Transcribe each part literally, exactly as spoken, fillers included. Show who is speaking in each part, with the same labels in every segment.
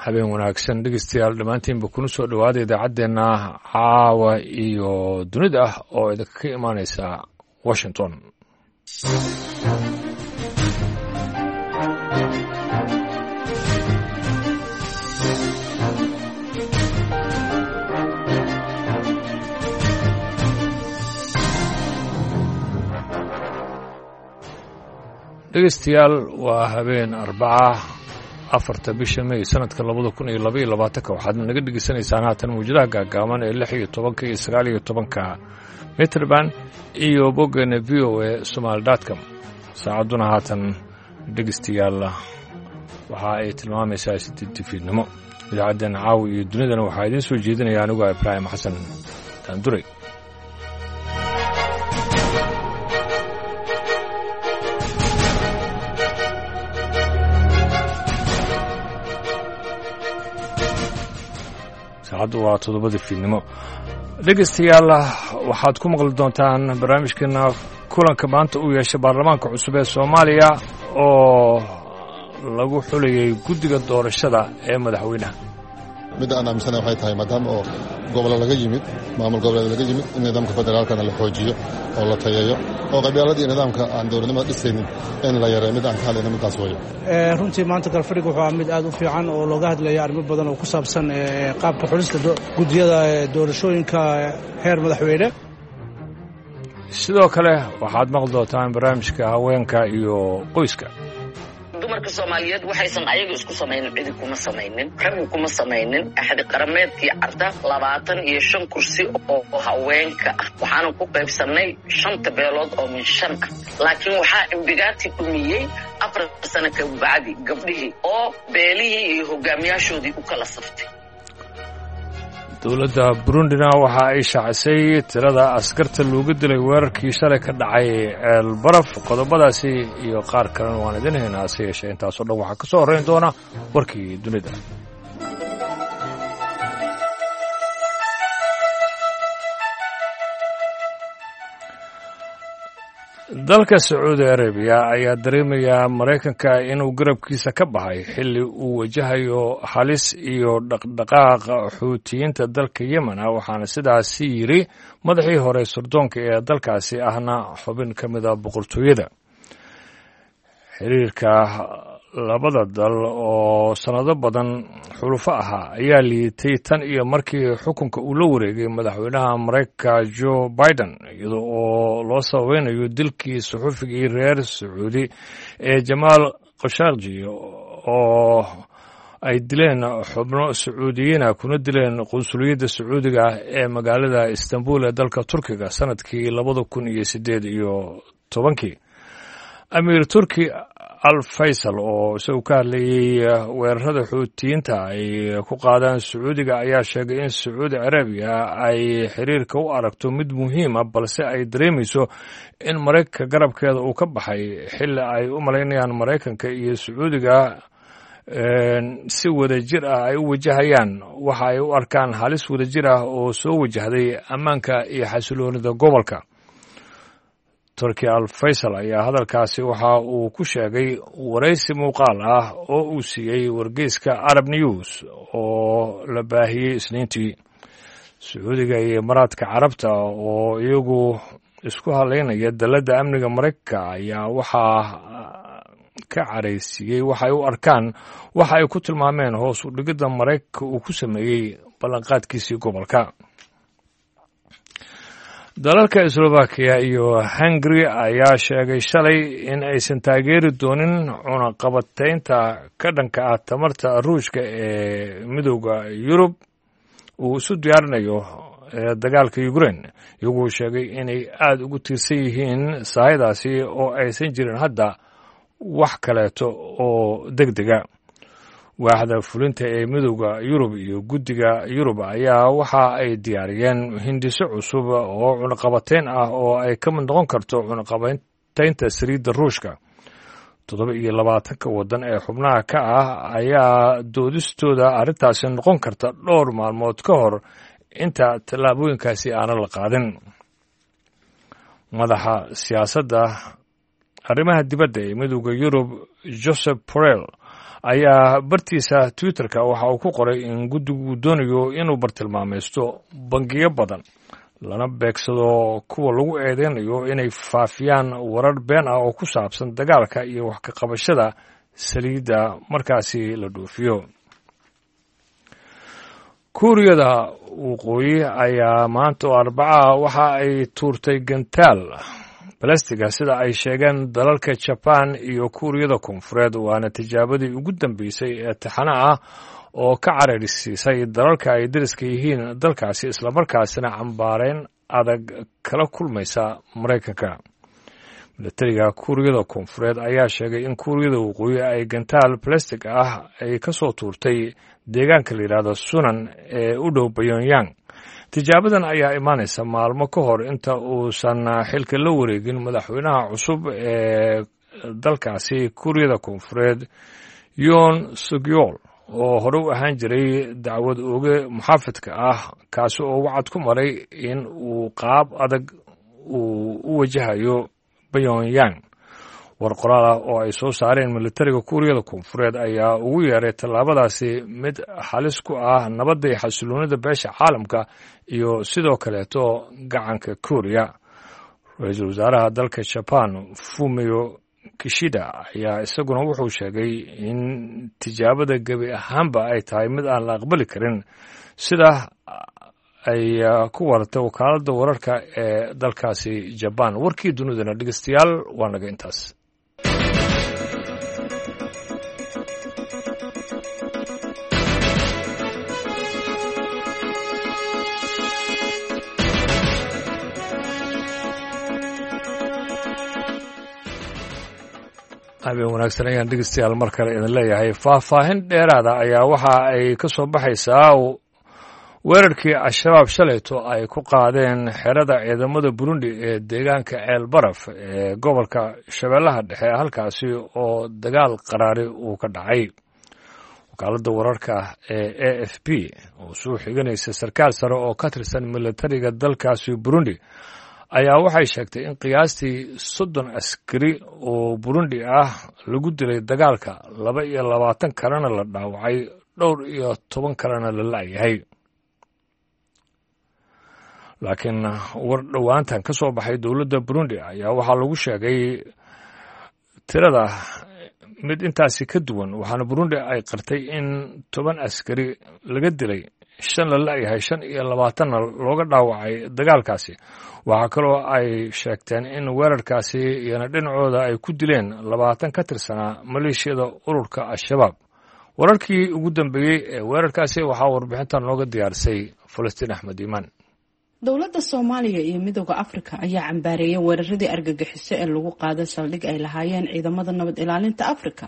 Speaker 1: Habeen wanaagsan dhegeystayaal dhammaantiinba, kuna soo dhowaada idaacaddeenna caawa iyo dunida ah oo idinka imaaneysa Washington. Dhegeystayaal, waa habeen Arbaca, afarta bisha May sanadka labada kun iyo laba iyo labaatanka. Waxaad naga dhegeysanaysaan haatan mawjadaha gaagaaban ee lix iyo tobanka iyo sagaal iyo tobanka meter band iyo boggeena V O A Somaali dot com. Saacadduna haatan, dhegeystayaal, waxa ay tilmaamaysaa sideed fiidnimo. Idaacaddeena caawa iyo dunidana waxaa idiin soo jeedinaya aniguo Ibraahim Xasan Daanduray. Saacaddu waa toddobada fiidnimo. Dhegeystayaal, waxaad ku maqli doontaan barnaamijkeena kulanka maanta uu yeeshay baarlamaanka cusub ee Soomaaliya oo lagu xulayay guddiga doorashada ee madaxweynaha.
Speaker 2: Midda aan aaminsana waxay tahay, maadaama oo gobollo laga yimid, maamul goboleed laga yimid, in nidaamka federaalkana la xoojiyo oo la tayeeyo, oo qabyaaladii nidaamka aan dowladnimada dhisaynin in la yareeyo. Mid aan ka hadlayna middaas weeye.
Speaker 3: Runtii maanta galfadhiga wuxuu ahaa mid aad u fiican oo looga hadlaya arrimo badan oo ku saabsan qaabka xulista guddiyada doorashooyinka heer madaxweyne.
Speaker 1: Sidoo kale waxaad maqli doontaan barnaamijka haweenka iyo qoyska.
Speaker 4: Dumarka Soomaaliyeed waxaysan ayaga isku samaynin cidi kuma samaynin, raggu kuma samaynin. Axdi qarameedkii Carta labaatan iyo shan kursi oo haweenka ah waxaanu ku qaybsannay shanta beelood oo min shan ah, laakiin waxaa imbigaati dhumiyey afar sano ka bacdi gabdhihii oo beelihii iyo hogaamiyaashoodii u kala saftay.
Speaker 1: Dowladda Burundina waxa ay shaacisay tirada askarta looga dilay weerarkii shalay ka dhacay Ceel Baraf. Qodobadaasi iyo qaar kalena waan idin haynaa, hase yeeshee intaasoo dhan waxaa ka soo horrayn doona warkii dunida. Dalka Sacuudi Arabiya ayaa dareemayaa Maraykanka inuu garabkiisa ka baxay xilli uu wajahayo halis iyo dhaqdhaqaaqa Xuutiyiinta dalka Yemen ah. Waxaana sidaasi yidhi madaxii hore sirdoonka ee dalkaasi, ahna xubin ka mida boqortooyada. Xiriirka labada dal oo sannado badan xulufo ahaa ayaa liitay tan iyo markii xukunka uu la wareegay madaxweynaha Maraykanka Joe Biden, iyada oo loo sababeynayo dilkii suxufigii reer Sacuudi ee Jamaal Khashaqji oo ay dileen xubno Sacuudiyiina kuna dileen qunsuliyadda Sacuudiga ee magaalada Istanbul ee dalka Turkiga sanadkii labada kun iyo siddeed iyo tobankii. Amiir Turki Al Faysal oo isagu ka hadlayey weerarada Xuutiyiinta ay ku qaadaan Sacuudiga ayaa sheegay in Sacuudi Carabiya ay xiriirka u aragto mid muhiima, balse ay dareemayso in Maraykanka garabkeeda uu ka baxay, xilli ay u malaynayaan Maraykanka iyo Sacuudiga si wadajir ah ay u wajahayaan waxa ay u arkaan halis wadajir ah oo soo wajahday ammaanka iyo xasiloonida gobolka. Turki Al Faysal ayaa hadalkaasi waxa uu ku sheegay waraysi muuqaal ah oo uu siiyey wargeyska Arab News oo la baahiyey Isniintii. Sacuudiga iyo Imaaraadka Carabta oo iyagu isku halaynaya dalladda amniga Maraykanka ayaa waxaa ka caraysiiyey waxay u arkaan waxa ay ku tilmaameen hoos u dhigidda Maraykanka uu ku sameeyey ballanqaadkiisii gobolka. Dalalka Slovakiya iyo Hungary ayaa sheegay shalay in aysan taageeri doonin cunaqabataynta ka dhanka ah tamarta Ruushka ee Midooda Yurub uu isu diyaarinayo dagaalka Ukraine, iyagoo sheegay inay aada ugu tiirsan yihiin sahaydaasi oo aysan jirin hadda wax kaleeto oo deg dega. Waaxda fulinta ee Midooda Yurub iyo Guddiga Yurub ayaa waxa ay diyaariyeen hindiso cusub oo cunaqabateyn ah oo ay ka mid noqon karto cunaqabateynta saliidda Ruushka. Toddoba iyo labaatanka waddan ee xubnaha ka ah ayaa doodistooda arrintaasi noqon karta dhowr maalmood ka hor inta tallaabooyinkaasi aanan la qaadin. Madaxa siyaasadda arrimaha dibadda ee Midooda Yurub, Joseph Borrell, ayaa bartiisa twitterka waxa uu ku qoray in guddigu doonayo inuu bartilmaamaysto bangiyo badan lana beegsado kuwa lagu eedeynayo inay faafiyaan warar been ah oo ku saabsan dagaalka iyo wax ka qabashada saliidda markaasi la dhoofiyo. Kuuriyada Waqooyi ayaa maanta oo Arbacaha waxa ay tuurtay gantaal balastiga, sida ay sheegeen dalalka Jabaan iyo Kuuriyada Koonfureed, waana tijaabadii ugu dambeysay ee taxana ah oo ka cararsiisay dalalka ay dariska yihiin dalkaasi, islamarkaasina cambaareyn adag kala kulmaysa Maraykanka. Milatariga Kuuriyada Koonfureed ayaa sheegay in Kuuriyada Waqooyi ay gantaal balastig ah ay ka soo tuurtay deegaanka la yidhaahdo Sunan ee u dhow Pyongyang. Tijaabadan ayaa imaanaysa maalmo ka hor inta uusan xilka la wareegin madaxweynaha cusub ee dalkaasi Kuuriyada Koonfureed, Yoon Suk-yeol, oo hore u ahaan jiray dacwad ooge muxaafidka ah, kaasi oo wacad ku maray in uu qaab adag uu u wajahayo Pyongyang. War qoraal ah oo ay soo saareen militariga Kuuriyada Koonfureed ayaa ugu yeeray tallaabadaasi mid halis ku ah nabadda iyo xasiloonida beesha caalamka iyo sidoo kaleeto gacanka Kuuriya. Ra-iisul wasaaraha dalka Jaban Fumio Kishida ayaa isaguna wuxuu sheegay in tijaabada gebi ahaanba ay tahay mid aan la aqbali karin, sida ay ku waratay wakaaladda wararka ee dalkaasi Jabaan. Warkii dunidana dhegeystayaal waa naga intaas. Habeen wanaagsan ayaan dhegeystayaal mar kale idin leeyahay. Faahfaahin dheeraada ayaa waxa ay ka soo baxaysaa weerarkii Al-Shabaab shalayto ay ku qaadeen xerada ciidamada Burundi ee deegaanka Ceel Baraf ee gobolka Shabeellaha Dhexe, halkaasi oo dagaal qaraari uu ka dhacay. Wakaaladda wararka ee A F P oo soo xiganaysa sarkaal sare oo ka tirsan militariga dalkaasi Burundi ayaa waxay sheegtay in qiyaastii soddon askari oo Burundi ah lagu dilay dagaalka, laba iyo labaatan kalena la dhaawacay, dhowr iyo toban kalena la la'yahay. Laakiin war dhowaantan ka soo baxay dowladda Burundi ayaa waxaa lagu sheegay tirada mid intaasi ka duwan, waxaana Burundi ay qartay in toban askari laga dilay, shan la la'yahay, shan iyo labaatanna looga dhaawacay dagaalkaasi. Waxaa kaloo ay sheegteen in weerarkaasi iyona dhinacooda ay ku dileen labaatan ka tirsanaa maleeshiyada ururka Al-Shabaab. Wararkii ugu dambeeyey ee weerarkaasi waxaa warbixintan nooga diyaarisay Falastiin Axmed Iimaan.
Speaker 5: Dowladda Soomaaliya iyo Midooda Afrika ayaa cambaareeyay weeraradii argagixiso ee lagu qaaday saldhig ay lahaayeen ciidamada nabad ilaalinta Afrika,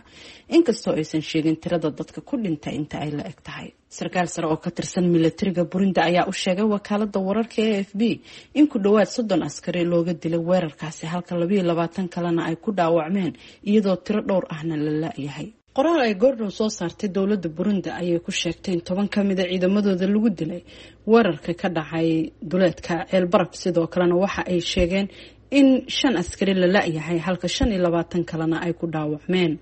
Speaker 5: inkastoo aysan sheegin tirada dadka ku dhintay inta ay la eg tahay. Sarkaal sare oo ka tirsan militariga Burundi ayaa u sheegay wakaalada wararka A F B in ku dhowaad soddon askari looga dilay weerarkaasi, halka labayo labaatan kalena ay ku dhaawacmeen, iyadoo tiro dhowr ahna la la-yahay. Qoraal ay goordhow soo saartay dowladda Burundi ayay ku sheegtay in toban ka mid a ciidamadooda lagu dilay weerarka ka dhacay duleedka Ceelbaraf. Sidoo kalena waxa ay sheegeen in shan askari la la-yahay, halka shan iyo labaatan kalena ay ku dhaawacmeen.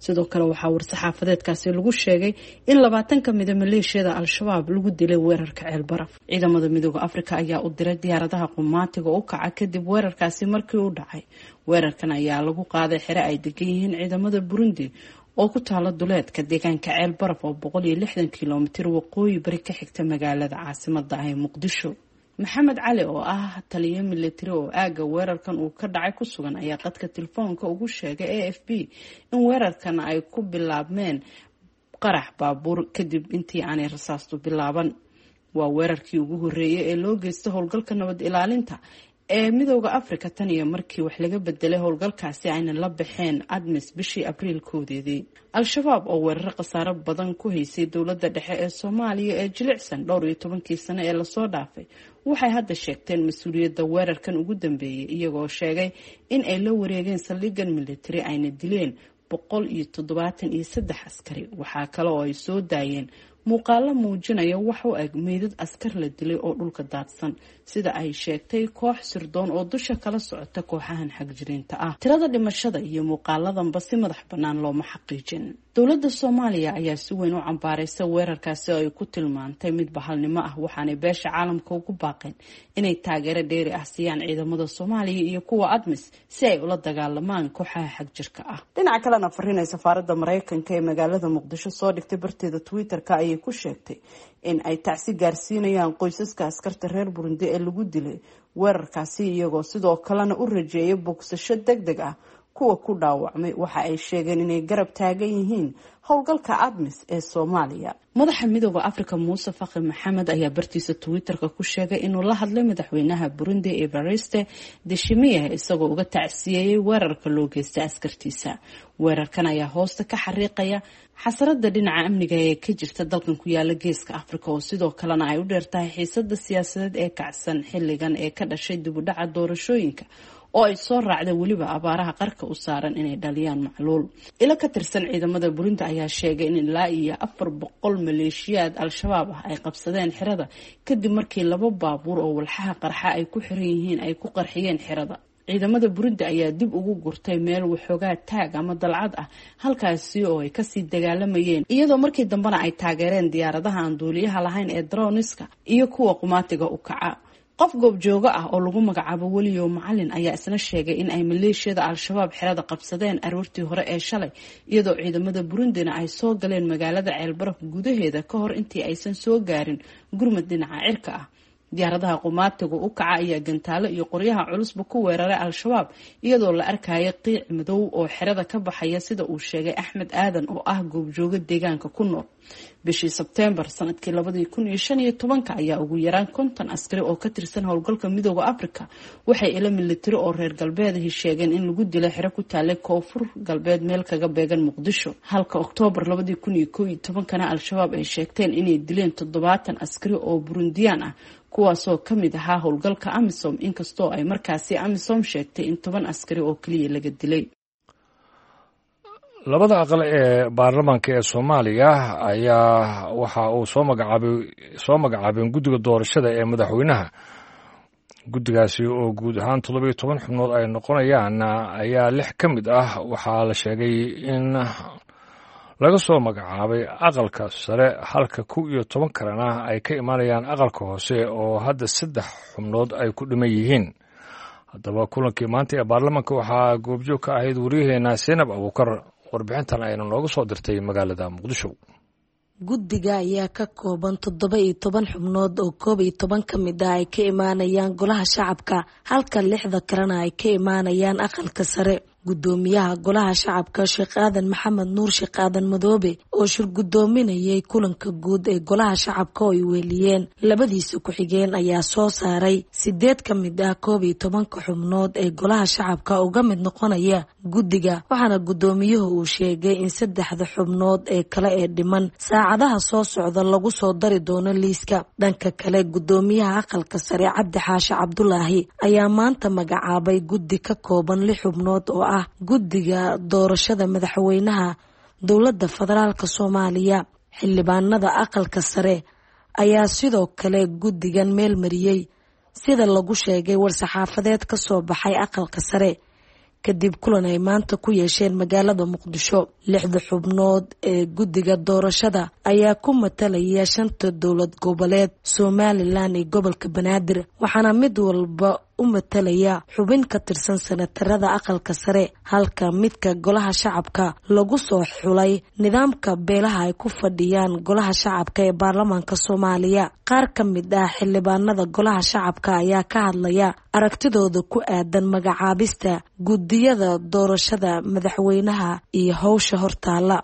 Speaker 5: Sidoo kale waxaa war-saxaafadeedkaasi lagu sheegay in labaatan ka mida maleeshiyada Al-Shabaab lagu dilay weerarka Ceelbaraf. Ciidamada Midooda Afrika ayaa u diray diyaaradaha qumaatiga u kaca kadib weerarkaasi markii uu dhacay. Weerarkan ayaa lagu qaaday xere ay degan yihiin ciidamada Burundi oo ku taala duleedka deegaanka Ceel Baraf oo boqol iyo lixdan kilomitir waqooyi bari ka xigta magaalada caasimada ah ee Muqdisho. Maxamed Cali oo ah taliye militari oo aagga weerarkan uu ka dhacay ku sugan ayaa qadka telefoonka ugu sheegay A F B in weerarkan ay ku bilaabmeen qarax baabuur kadib intii aanay rasaastu bilaaban. Waa weerarkii ugu horreeyay ee loo geysta howlgalka nabad ilaalinta ee Midooda Afrika tan iyo markii wax laga bedelay howlgalkaasi ayna la baxeen ADMIS bishii Abriil koodeedii. Al-Shabaab oo weeraro khasaaro badan ku haysay dowladda dhexe ee Soomaaliya ee jilicsan dhowr iyo tobankii sano ee lasoo dhaafay waxay hadda sheegteen mas-uuliyadda weerarkan ugu dambeeyay, iyagoo sheegay in ay la wareegeen saldhiggan militari ayna dileen boqol iyo toddobaatan iyo saddex askari. Waxaa kale oo ay soo daayeen Muuqaalo muujinaya wax u eg meydad askar la dilay oo dhulka daadsan, sida ay sheegtay koox sirdoon oo dusha kala socota kooxahan xagjiriinta ah. Tirada dhimashada iyo muuqaaladanba si madax bannaan looma xaqiijin. Dowladda Soomaaliya ayaa si weyn u cambaaraysa weerarkaasi oo ay ku tilmaantay mid bahalnimo ah, waxaanay beesha caalamka ugu baaqeen inay taageero dheeri ah siiyaan ciidamada Soomaaliya iyo kuwa ADMIS si ay ula dagaalamaan kooxaha xagjirka ah. Dhinaca kalena, fariin ay safaaradda Mareykanka ee magaalada Muqdisho soo dhigtay barteeda Twitter-ka ayay ku sheegtay in ay tacsi gaarsiinayaan qoysaska askarta reer Burundi ee lagu dilay weerarkaasi, iyagoo sidoo kalena u rajeeyay bogsasho deg deg ah kuwa ku dhaawacmay. Waxa ay sheegeen inay garab taagan yihiin howlgalka ADMIS ee Soomaaliya. Madaxa Midooda Africa Muuse Faqi Maxamed ayaa bartiisa Twitter-ka ku sheegay inuu la hadlay madaxweynaha Burundi Evariste Ndayishimiye, isagoo uga tacsiyeeyey weerarka loo geystay askartiisa. Weerarkan ayaa hoosta ka xariiqaya xasarada dhinaca amniga ee ka jirta dalkan ku yaala Geeska Afrika, oo sidoo kalena ay u dheertahay xiisada siyaasadeed ee kacsan xilligan ee ka dhashay dib u dhaca doorashooyinka oo ay soo raacday weliba abaaraha qarka u saaran inay dhaliyaan macluul. Ilo ka tirsan ciidamada Burundi ayaa sheegay in ilaa iyo afar boqol maleeshiyaad Al-Shabaab ah ay qabsadeen xerada kadib markii laba baabuur oo walxaha qarxa ay ku xiran yihiin ay ku qarxiyeen xerada. Ciidamada Burundi ayaa dib ugu gurtay meel waxoogaa taag ama dalcad ah, halkaasi oo ay kasii dagaalamayeen, iyadoo markii dambena ay taageereen diyaaradaha aan duuliyaha lahayn ee droniska iyo kuwa qumaatiga u kaca. Qof goobjoogo ah oo lagu magacaabo Weliyo Macalin ayaa isna sheegay in ay maleeshiyada Al-Shabaab xerada qabsadeen aroortii hore ee shalay, iyadoo ciidamada Burundina ay soo galeen magaalada Ceelbaraf gudaheeda ka hor intii aysan soo gaarin gurmad dhinaca cirka ah. Diyaaradaha qumaatiga u kaca ayaa gantaalo iyo qoryaha culusba ku weeraray Al-Shabaab, iyadoo la arkaya qiic madow oo xerada ka baxaya, sida uu sheegay Axmed Aadan oo ah goobjoogo deegaanka ku nool. Bishii Sebteembar sanadkii labadii kun iyo shan iyo tobanka ayaa ugu yaraan konton askari oo ka tirsan howlgalka Midooda Afrika waxay ilo militari oo reer galbeedahi sheegeen in lagu dilay xero ku taalay koonfur galbeed meel kaga beegan Muqdisho, halka Oktoobar labadii kun iyo kow iyo tobankana Al-Shabaab ay sheegteen inay dileen toddobaatan askari oo Burundiyaan ah, kuwaasoo ka mid ahaa howlgalka AMISOM, inkastoo ay markaasi AMISOM sheegtay in toban askari oo keliya laga dilay.
Speaker 1: Labada aqal ee baarlamaanka ee Soomaaliya ayaa waxa uu soo magacaabay soo magacaabeen guddiga doorashada ee madaxweynaha. Guddigaasi oo guud ahaan toddoba iyo toban xubnood ay noqonayaan ayaa lix ka mid ah waxaa la sheegay in laga soo magacaabay aqalka sare, halka kow iyo toban kalena ay ka imaanayaan aqalka hoose oo hadda saddex xubnood ay ku dhiman yihiin. Haddaba, kulankii maanta ee baarlamaanka waxaa goobjoog ka ahayd waryaheena Seenab Abuukar, warbixintan ayna nooga soo dirtay magaalada Muqdisho.
Speaker 6: Guddiga ayaa ka kooban toddoba iyo toban xubnood oo koob iyo toban ka mid ah ay ka imaanayaan golaha shacabka, halka lixda kalena ay ka imaanayaan aqalka sare. Gudoomiyaha golaha shacabka Sheekh Aadan Maxamed Nuur, Sheekh Aadan Madoobe, oo shir gudoominayay kulanka guud ee golaha shacabka oo ay weeliyeen labadiisa ku-xigeen, ayaa soo saaray sideed ka mid ah koob iyo tobanka xubnood ee golaha shacabka uga mid noqonaya guddiga, waxaana gudoomiyuhu uu sheegay in saddexda xubnood ee kale ee dhiman saacadaha soo socda lagu soo dari doono liiska. Dhanka kale, gudoomiyaha aqalka sare Cabdi Xaashi Cabdulaahi ayaa maanta magacaabay guddi ka kooban lix xubnood oo ah guddiga doorashada madaxweynaha dowladda federaalka Soomaaliya. Xildhibaanada aqalka sare ayaa sidoo kale guddigan meel mariyey, sida lagu sheegay war-saxaafadeed ka soo baxay aqalka sare kadib kulan ay maanta ku yeesheen magaalada Muqdisho. Lixda xubnood ee guddiga doorashada ayaa ku matalaya shanta dowlad goboleed, Somalilan iyo gobolka Banaadir, waxaana mid walba u matalaya xubin ka tirsan sanatarada aqalka sare, halka midka golaha shacabka lagu soo xulay nidaamka beelaha ay ku fadhiyaan golaha shacabka ee baarlamaanka Soomaaliya. Qaar ka mid ah xildhibaanada golaha shacabka ayaa ka hadlaya aragtidooda ku aadan magacaabista guddiyada doorashada madaxweynaha iyo howsha hortaala.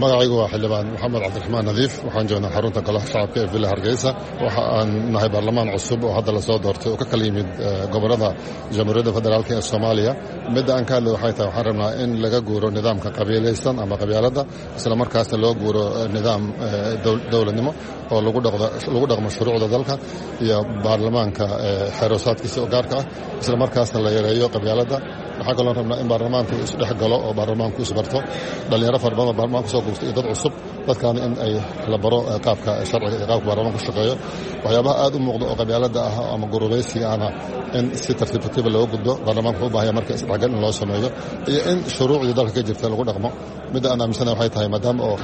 Speaker 2: Magacaygu waa xildhibaan Maxamed Cabdiraxmaan Nadiif. Waxaan joognaa xarunta golaha shacabka ee Villa Hargeysa. Waxa aan nahay baarlamaan cusub oo hadda lasoo doortay oo ka kala yimid gobolada Jamhuuriyadda Federaalk ee Soomaaliya. Midda aan ka hadlay waxay tahay, waxaan rabnaa in laga guuro nidaamka qabiilaysan ama qabyaaladda, isla markaasna loo guuro nidaam dowladnimo oo lagu dhaqmo shuruucda dalka iyo baarlamaanka xeeroosaadkiisa oo gaarka ah, isla markaasna la yareeyo qabyaaladda. Waxaa kaloon rabnaa in baarlamaanku isdhex galo oo baarlamaanku isbarto dhallinyaro fara badan oo baarlamaanka kusoo guurtay iyo dad cusub, dadkaana in ay la baro qaabka sharciga iyo qaabka baarlamaanku shaqeeyo. Waxyaabaha aad u muuqda oo qabyaaladda ah ama gurubaysiga ahna in si tartiib tartiiba looga gudbo. Baarlamaanku wuxuu u baahaya marka isdhexgal in loo sameeyo iyo in shuruucdii dalka ka jirta lagu dhaqmo. Midda aan aaminsanahay waxay tahay, maadaama oo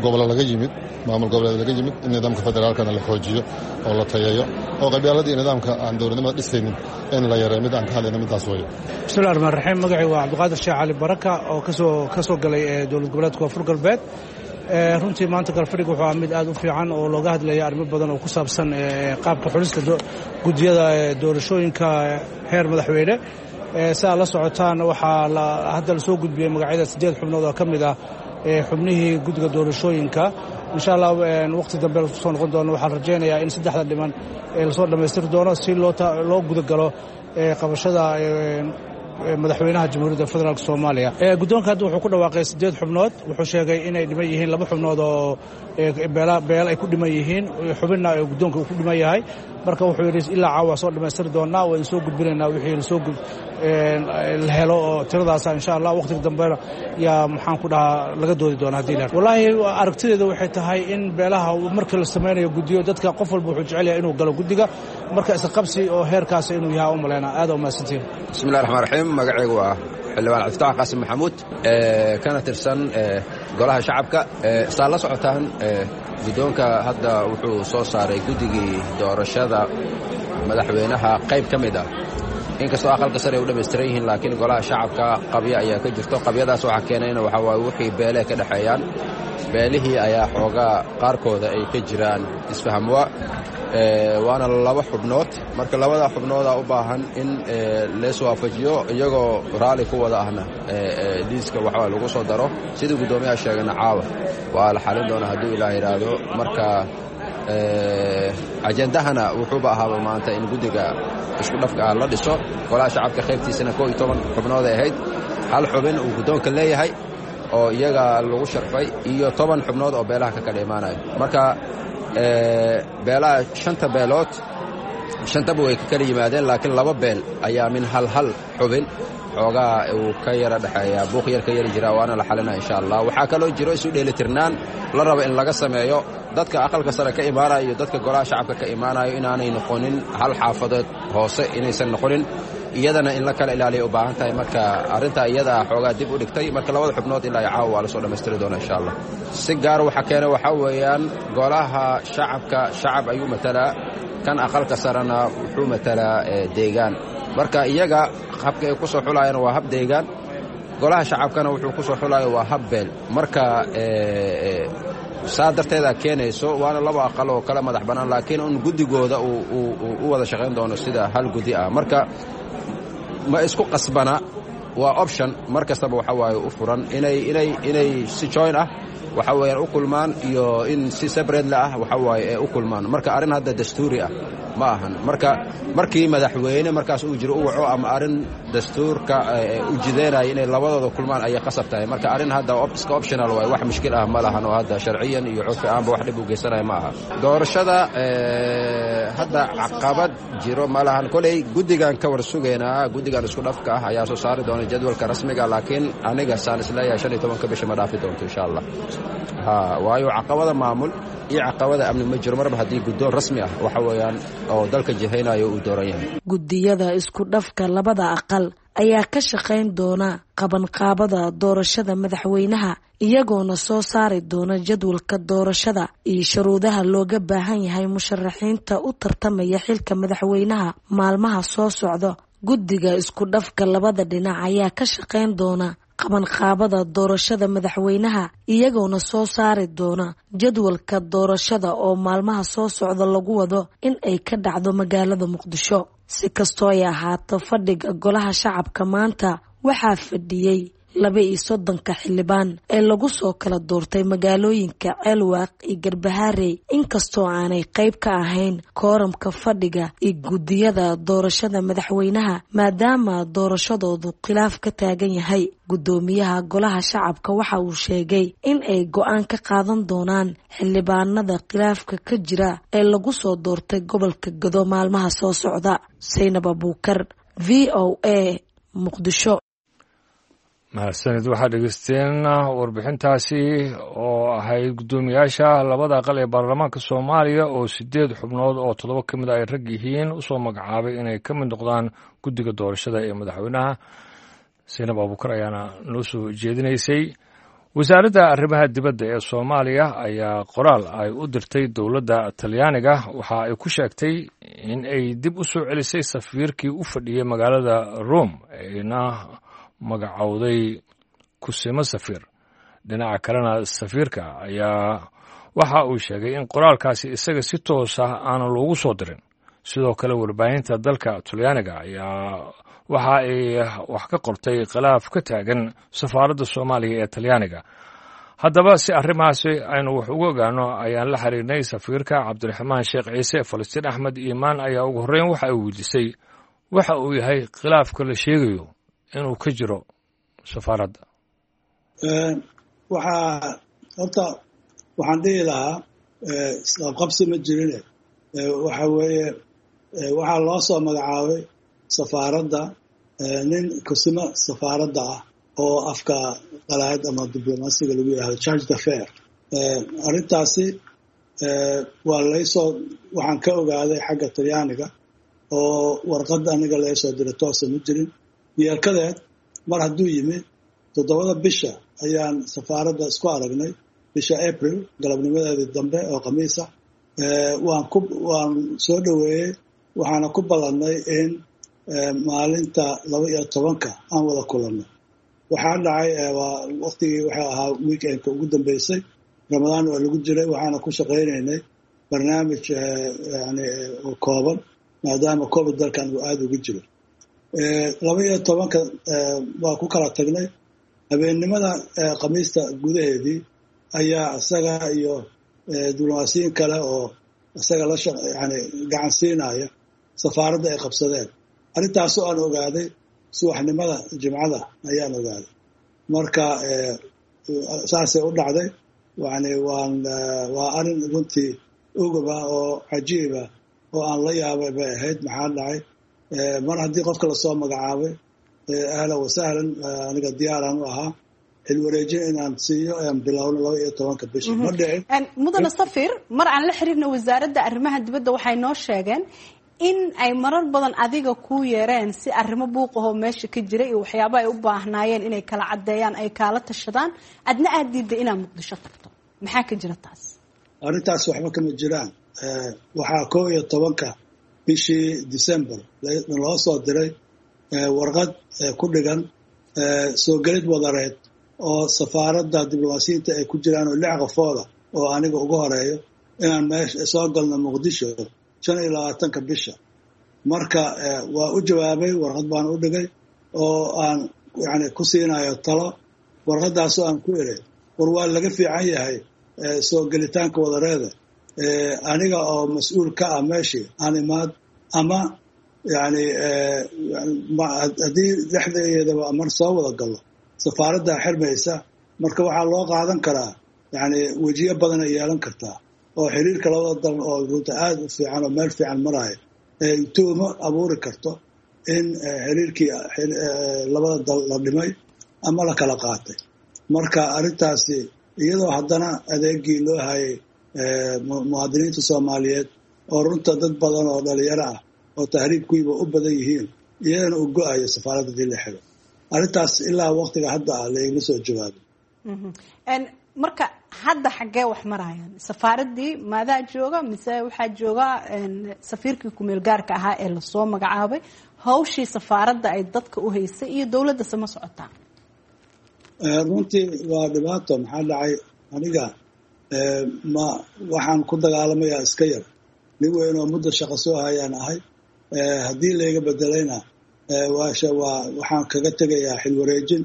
Speaker 2: gobollo laga yimid, maamul goboleed laga yimid, in nidaamka federaalkana la xoojiyo oo la tayeeyo oo qabyaaladii nidaamka aan dowladnimada dhisaynin in la yareeyo. Mid aan ka hadlayna midaas weeye.
Speaker 3: Bismillahi raxmaan raxiim. Magacii waa Cabdiqaadir Sheekh Cali Baraka oo kasoo ka soo galay dowlad goboleedka Koonfur Galbeed. Runtii maanta galfadhiga wuxuu ahaa mid aad u fiican oo looga hadlaya arrimo badan oo ku saabsan qaabka xulista guddiyada doorashooyinka heer madaxweyne. Si aad la socotaan, waxaa hadda lasoo gudbiyey magacyada siddeed xubnood oo ka mid ah xubnihii guddiga doorashooyinka. Insha Allah waqti dambe lasoo noqon doono. Waxaan rajaynayaa in saddexda dhiman lasoo dhammaystiri doono si loo gudagalo qabashada madaxweynaha Jamhuuriyadda Federaalk Soomaaliya. Guddoonka hadda wuxuu ku dhawaaqay siddeed xubnood. Wuxuu sheegay inay dhiman yihiin laba xubnood oo beel ay ku dhiman yihiin, xubinna guddoonka uu ku dhiman yahay. Marka wuxuu yidhi ilaa caawa soo dhammaystiri doonaa, waa idin soo gudbinaynaa wixii lasoo la helo oo tiradaasa. Insha Allah waqtiga dambena yaa maxaan ku dhahaa laga doodi doona haddii la. Wallaahi aragtideeda waxay tahay in beelaha marka la samaynayo guddiyo, dadka qof walba wuxuu jecel yahay inuu galo guddiga, marka isqabsi oo heerkaas inuu yahay u malaynaa. Aad u mahadsantiin.
Speaker 7: Bismillahi raxmaan raxiim. Magacaygu waa xildhibaan Cabdifatax Qaasim Maxamuud, kana tirsan Golaha Shacabka. Saa la socotaan, guddoonka hadda wuxuu soo saaray guddigii doorashada madaxweynaha qayb ka mid ah. Inkastoo aqalka sare ay u dhammaystiran yihiin, laakiin Golaha Shacabka qabyo ayaa ka jirto. Qabyadaas waxaa keenayna waxaa waaye wixii beelee ka dhexeeyaan, beelihii ayaa xoogaa qaarkooda ay ka jiraan isfahamwa, waana laba xubnood. Marka labada xubnoodaa u baahan in lees waafajiyo, iyagoo raalli ku wada ahna liiska waxaa lagu soo daro. Sidii guddoomiyaha sheegana, caawa waa la xalin doonaa hadduu Ilaah yidhaahdo. Marka ajendahana wuxuuba ahaaba maanta in guddiga isku dhafka ah la dhiso. Golaha Shacabka qaybtiisana koo iyo toban xubnood ay ahayd, hal xubin uu guddoonka leeyahay oo iyaga lagu sharfay iyo toban xubnood oo beelaha ka kala imaanayo. Marka beelaha shanta beelood shantaba way ka kala yimaadeen, laakiin laba beel ayaa min hal hal xubin xoogaa uu ka yara dhexeeyaa, buuq yar ka yari jiraa, waana la xalinaa insha Allah. Waxaa kaloo jiro isu dheelitirnaan la rabo in laga sameeyo dadka aqalka sare ka imaanayo iyo dadka Golaha Shacabka ka imaanayo, inaanay noqonin hal xaafadeed hoose, inaysan noqonin, iyadana in la kala ilaaliya u baahan tahay. Marka arrintaa iyada ah xoogaa dib u dhigtay. Marka labada xubnood ilaa iyo caawa waa la soo dhammaystiri doonaa insha Allah. Si gaar waxa keenay waxaa weeyaan, Golaha Shacabka shacab ayuu matalaa, kan aqalka sarena wuxuu matalaa deegaan. Marka iyaga habka ay ku soo xulaayaan waa hab deegaan, Golaha Shacabkana wuxuu ku soo xulaayo waa hab beel. Marka saa darteedaa keenayso, waana laba aqal oo kala madax bannaan, laakiin un guddigooda uu u wada shaqayn doono sida hal guddi ah. Marka ma isku qasbana, waa option mar kastaba waxa waaye u furan inay inay inay si join ah waxa weeyaan u kulmaan iyo in si separately ah waxa waaye ee u kulmaan. Marka arrin hadda dastuuri ah ma ahan. Marka markii madaxweyne markaas uu jiro u waco ama arrin dastuurka u jideynaya inay labadooda kulmaan ayay qasab tahay. Marka arrin hadda iska optional waaye, wax mushkil ah ma lahan oo hadda sharciyan iyo curfi ahaanba wax dhib u geysanaya ma aha. Doorashada hadda caqabad jiro ma lahan. Koley guddigan ka war sugaynaa, guddigan isku dhafka ah ayaa soo saari doona jadwalka rasmiga, laakiin aniga saan isleeyahay shan iyo tobanka bisha ma dhaafi doonto insha Allah. Ha, waayo caqabada maamul iyo caqabada amni ma jiro marba haddii guddoon rasmi ah waxa weeyaan oo dalka jihaynayo uu dooran yahay.
Speaker 6: Guddiyada isku dhafka labada aqal ayaa ka shaqayn doona qabanqaabada doorashada madaxweynaha, iyagoona soo saari doona jadwalka doorashada iyo shuruudaha looga baahan yahay musharaxiinta u tartamaya xilka madaxweynaha maalmaha soo socda. Guddiga isku dhafka labada dhinac ayaa ka shaqayn doona qabanqaabada doorashada madaxweynaha, iyagoona soo saari doona jadwalka doorashada oo maalmaha soo socda lagu wado in ay ka dhacdo magaalada Muqdisho. Si kastoo ay ahaato, fadhiga Golaha Shacabka maanta waxaa fadhiyey Laba iyo soddonka xildhibaan ee lagu soo kala doortay magaalooyinka Ceelwaaq iyo Garbaharey, inkastoo aanay qayb ka ahayn kooramka fadhiga iyo guddiyada doorashada madaxweynaha, maadaama doorashadoodu khilaaf ka taagan yahay. Guddoomiyaha golaha shacabka waxa uu sheegay in ay go-aan ka qaadan doonaan xildhibaanada khilaafka ka jira ee lagu soo doortay gobolka Gado maalmaha soo socda. Saynab Abuukar, V O A, Muqdisho.
Speaker 1: Mahadsanid. Waxaad dhegeysteen warbixintaasi oo ahayd guddoomiyaasha labada aqal ee baarlamaanka Soomaaliya oo sideed xubnood oo toddoba ka mid a ay rag yihiin usoo magacaabay inay ka mid noqdaan guddiga doorashada ee madaxweynaha. Saynab Abuukar ayaana noo soo jeedinaysay. Wasaaradda arrimaha dibadda ee Soomaaliya ayaa qoraal ay u dirtay dowladda Talyaaniga waxa ay ku sheegtay in ay dib u soo celisay safiirkii u fadhiyey magaalada Rome, ayna magacowday kusimo safiir. Dhinaca kalena, safiirka ayaa waxa uu sheegay in qoraalkaasi isaga si toos ah aanan loogu soo dirin. Sidoo kale, warbaahinta dalka Talyaaniga ayaa waxa ay wax ka qortay khilaaf ka taagan safaaradda Soomaaliya ee Talyaaniga. Haddaba, si arrimahaasi aynu wax ugu ogaano ayaan la xiriirnay safiirka Cabdiraxmaan Sheekh Ciise. Falastiin Axmed Iimaan ayaa ugu horreyn waxa ay weydiisay waxa uu yahay khilaafka la sheegayo inuu ka jiro safaaradda.
Speaker 8: Waxaa horta waxaan dhihi lahaa isqabqabsi ma jirine. Waxa weeye, waxaa loo soo magacaabay safaaradda nin kusimo safaaradda ah oo afka qalaad ama diblomaasiga lagu yidhahdo chargé d'affaires. Arrintaasi waa laysoo waxaan ka ogaaday xagga Talyaaniga oo warqad aniga laysoo diray toosa ma jirin. Yeelkadeed, mar hadduu yimi, toddobada bisha ayaan safaaradda isku aragnay, bisha April, galabnimadeedii dambe oo Khamiisa. Waan ku waan soo dhoweeyey, waxaana ku ballannay in maalinta laba iyo tobanka aan wada kulanno. Waxaa dhacay, waa waqtigii waxay ahaa weekendka ugu dambeysay, Ramadaan waa lagu jiray, waxaana ku shaqaynaynay barnaamij yani kooban maadaama COVID dalkan uu aada ugu jiro. Laba iyo tobanka waa ku kala tagnay. Habeennimada Khamiista gudaheedii ayaa isaga iyo diblomaasiyiin kale oo isaga la yani gacan siinaya safaaradda ay qabsadeen. Arrintaasoo aan ogaaday subaxnimada Jimcada ayaan ogaaday. Marka saasay u dhacday. Yani waan waa arrin runtii ugaba oo cajiiba oo aan la yaabay bay ahayd. Maxaa dhacay? Mar haddii qofka lasoo magacaabay, ahlan wasahlan, aniga diyaaraan u ahaa xilwareejin inaan siiyo aan bilowno laba iyo tobanka bisha. Ma dhicin.
Speaker 5: Mudane safir, mar aan la xiriirna wasaaradda arrimaha dibadda, waxay noo sheegeen in ay marar badan adiga ku yeereen si arrimo buuqahoo meesha ka jira iyo waxyaaba ay u baahnaayeen inay kala caddeeyaan ay kaala tashadaan, adna aad diidday inaad Muqdisho tagto. Maxaa ka jira taas?
Speaker 8: Arrintaas waxba kama jiraan. Waxaa koo iyo tobanka bishii December loo soo diray warqad ku dhigan soo gelid wadareed oo safaaradda diblomaasiyiinta ay ku jiraan oo lix qofooda oo aniga ugu horeeyo inaan meesha soo galno Muqdisho shan iyo labaatanka bisha. Marka waa u jawaabay, warqad baan u dhigay oo aan yani ku siinayo talo. Warqadaasoo aan ku iri, war waa laga fiican yahay soo gelitaanka wadareeda, aniga oo mas-uul ka ah meeshii aan imaad ama yani haddii dhexdeedaba mar soo wada gallo safaaraddaa xirmaysa. Marka waxaa loo qaadan karaa yani wejiyo badan ay yeelan kartaa oo xiriirka labada dal oo runta aada u fiican oo meel fiican maraayo tuumo abuuri karto in xiriirkii labada dal la dhimay ama la kala qaatay. Marka arrintaasi iyadoo haddana adeegii loo hayay muwaadiniinta Soomaaliyeed oo runta dad badan oo dhalinyaro ah oo tahriibkuiba u badan yihiin, iyadana uu go-ayo safaaradda dii la xiro. Arrintaas ilaa waqtiga hadda ah laigama soo jawaabin.
Speaker 5: Marka hadda xaggee wax marayaan? Safaaraddii maadaa jooga mise waxaa jooga safiirkii kumeel gaarka ahaa ee lasoo magacaabay? Hawshii safaaradda ay dadka u haysay iyo dowladda sama socotaa?
Speaker 8: Runtii waa dhibaato. Maxaa dhacay, aniga ma waxaan ku dagaalamayaa iska yar, nin weyn oo muddo shaqo soo hayaan ahay. Haddii layga bedelayna waasha waa waxaan kaga tegayaa xilwareejin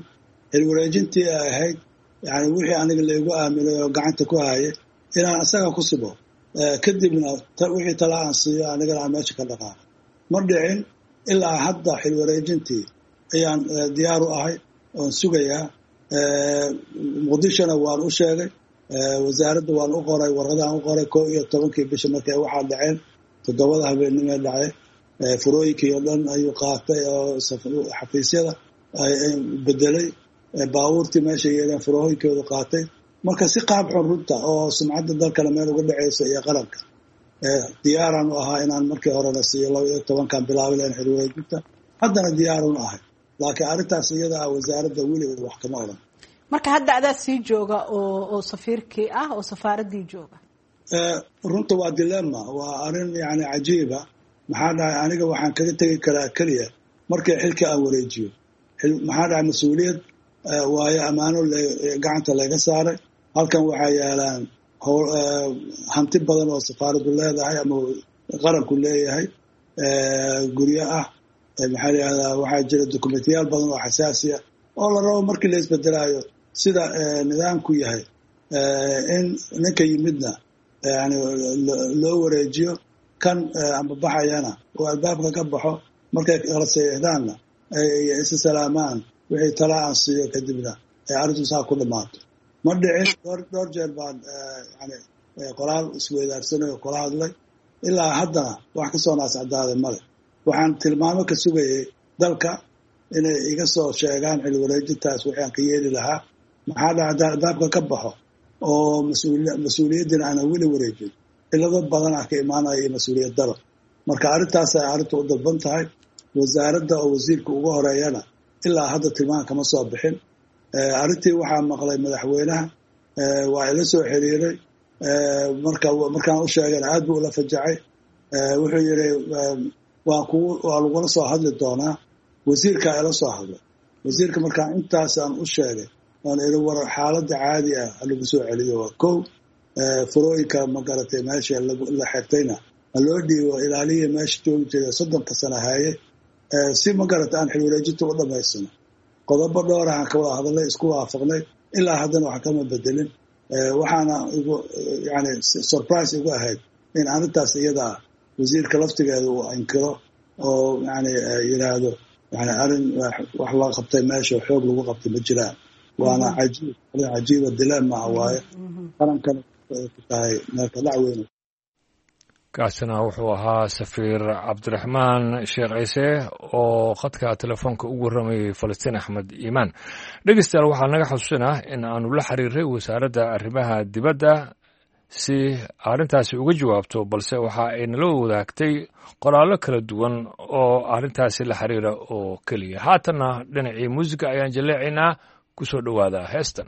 Speaker 8: Xilwareejintii ay ahayd yani wixii aniga laygu aaminay oo gacanta ku hayay inaan isaga ku sibo, kadibna wixii tala aan siiyo anigana aan meesha ka dhaqaaqo. Ma dhicin ilaa hadda. Xilwareejintii ayaan diyaar u ahay oon sugayaa. Muqdishona waan u sheegay, wasaaradda waan u qoray, warqadaan u qoray koo iyo tobankii bisha markay waxaa dhaceen, toddobada habeennimee dhacay. Furooyinkii oo dhan ayuu qaatay oo xafiisyada bedelay, baabuurtii meesha yeeleen furooyinkoodu qaatay. Marka si qaab xun runta oo sumcadda dalkana meel uga dhaceysa iyo qaranka, diyaaraan u ahaa inaan markii horena siiyo laba iyo tobankan bilaabi lahayn xilwareejinta, haddana diyaarun ahay, laakiin arrintaas iyada ah wasaaradda weligeed wax kama odhan.
Speaker 9: Marka hadda adaa sii jooga oo oo safiirkii ah oo safaaraddii jooga?
Speaker 8: Runta waa dilemma, waa arrin yani cajiiba. Maxaa dhahay, aniga waxaan kaga tegi karaa keliya markii xilka aan wareejiyo. Maxaa dhahay, mas-uuliyad waayo ammaano gacanta laga saaray. Halkan waxaa yaalaan hanti badan oo safaaraddu leedahay ama qaranku leeyahay, guryo ah, maxaa la yihahdaa, waxaa jira dokumentiyaal badan oo xasaasi ah oo la rabo markii la isbedelaayo sida nidaamku yahay in ninka yimidna yani loo wareejiyo, kan amba baxayana oo albaabka ka baxo, markay kala seexdaanna ay isa salaamaan, wixii tala aan siiyo, kadibna ay arrintu saa ku dhammaato. Ma dhicin. Dhowr jeer baan yani qoraal isweydaarsanay oo kula hadlay, ilaa haddana wax ka soo naascadaaday male. Waxaan tilmaamo ka sugayay dalka inay iga soo sheegaan xil wareejintaas waxaan ka yeeli lahaa. Maxaa dhaca, albaabka ka baxo oo mas-uuliyaddina aanan weli wareejin, cilado badan ah ka imaanaya iyo mas-uuliyad daro. Marka arrintaasay arrintu u dalban tahay. Wasaaradda oo wasiirka uga horeeyana ilaa hadda tilmaan kama soo bixin. Arrintii waxaa maqlay madaxweynaha, waa ila soo xiriiray. Marka markaan u sheegana aad buu ula fajacay. Wuxuu yidhi waan kugu waa lagula soo hadli doonaa. Wasiirkaa ila soo hadlay. Wasiirka markaan intaas aan u sheegay oon iri war xaaladda caadi ah lagu soo celiyo, waa kow, furooyinka magaratay meesha la xirtayna ha loo dhiibo ilaaliya meesha joogi jiray soddonka sana haye, si magarata aan xilwareejinta u dhamaysano. Qodobo dhowrahaan ka wada hadalnay, isku waafaqnay, ilaa haddana wax kama bedelin. Waxaana igu yani surprise igu ahayd in arrintaas iyada ah wasiirka laftigeeda uu inkiro oo yani yidhaahdo yani arrin wax loo qabtay meesha xoog lagu qabtay ma jiraan. Waana cajiib, arrin cajiiba, dilemma ah waaye, qarankana ku tahay meelka dhac weyn.
Speaker 1: Kaasina wuxuu ahaa safiir Cabdiraxmaan Sheekh Ciise oo khadka telefoonka ugu warramayay Falastiin Axmed Iimaan. Dhegeystayaal, waxaa naga xusuusinah in aanu la xiriiray wasaaradda arrimaha dibadda si arrintaasi uga jawaabto, balse waxa ay nala wadaagtay qoraallo kala duwan oo arrintaasi la xiriira oo keliya. Haatanna dhinacii muusiga ayaan jaleecaynaa. Ku soo dhowaada heestan.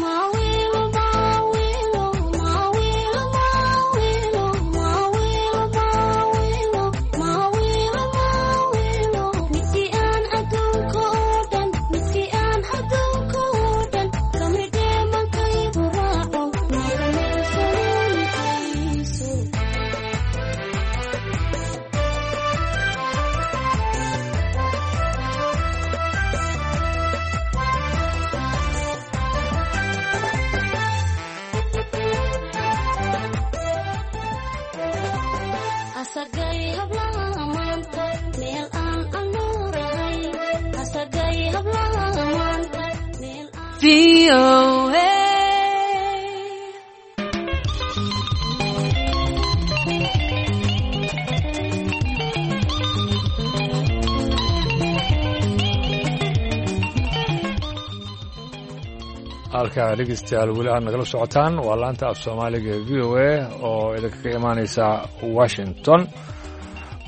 Speaker 10: Ma V O A.
Speaker 1: Halkaa dhegeystayaal weli aad nagala socotaan waa laanta af soomaaliga ee V O A oo idinkaga imaaneysa Washington.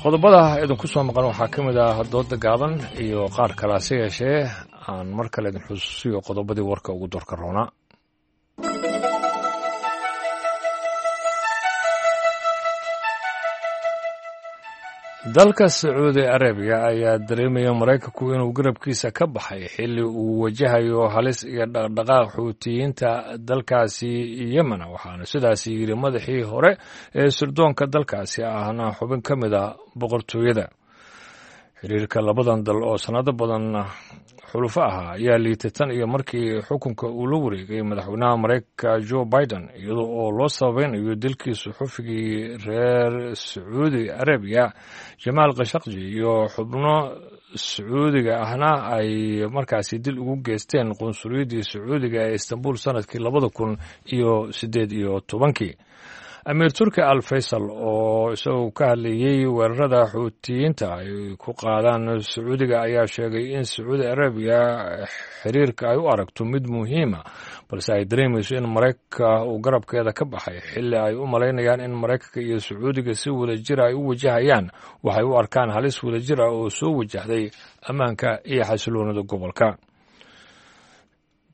Speaker 1: Qodobada idinku soo maqan waxaa ka mid ah dooda gaaban iyo qaar kale, hase yeeshee aan mar kale idin xusuusiyo qodobadii warka ugu doorka roonaa. Dalka Sacuudi Arabiya ayaa dareemaya Maraykanku inuu garabkiisa ka baxay xilli uu wajahayo halis iyo dhaqdhaqaaq xuutiyiinta dalkaasi Yemen, waxaana sidaasi yidhi madaxii hore ee sirdoonka dalkaasi ahna xubin ka mid a boqortooyada. Xiriirka labadan dal oo sannado badan xulufo ahaa ayaa liitay tan iyo markii xukunka uu la wareegay madaxweynaha Maraykanka Joe Biden, iyadoo oo loo sabaynayo dilkii suxufigii reer Sacuudi Arabiya Jamaal Khashaqji iyo xubno Sacuudiga ahna ay markaasi dil ugu geysteen qunsuliyaddii Sacuudiga ee Istanbul sanadkii labada kun iyo siddeed iyo tobankii. Amiir Turki Al Faysal oo isagu ka hadlayey weerarada xuutiyiinta ay ku qaadaan Sacuudiga ayaa sheegay in Sacuudi Arabiya xiriirka ay u aragto mid muhiima, balse ay dareemayso in Maraykanka uu garabkeeda ka baxay xilli ay u malaynayaan in Maraykanka iyo Sacuudiga si wadajir ay u wajahayaan waxay u arkaan halis wadajir ah oo soo wajahday ammaanka iyo xasiloonida gobolka.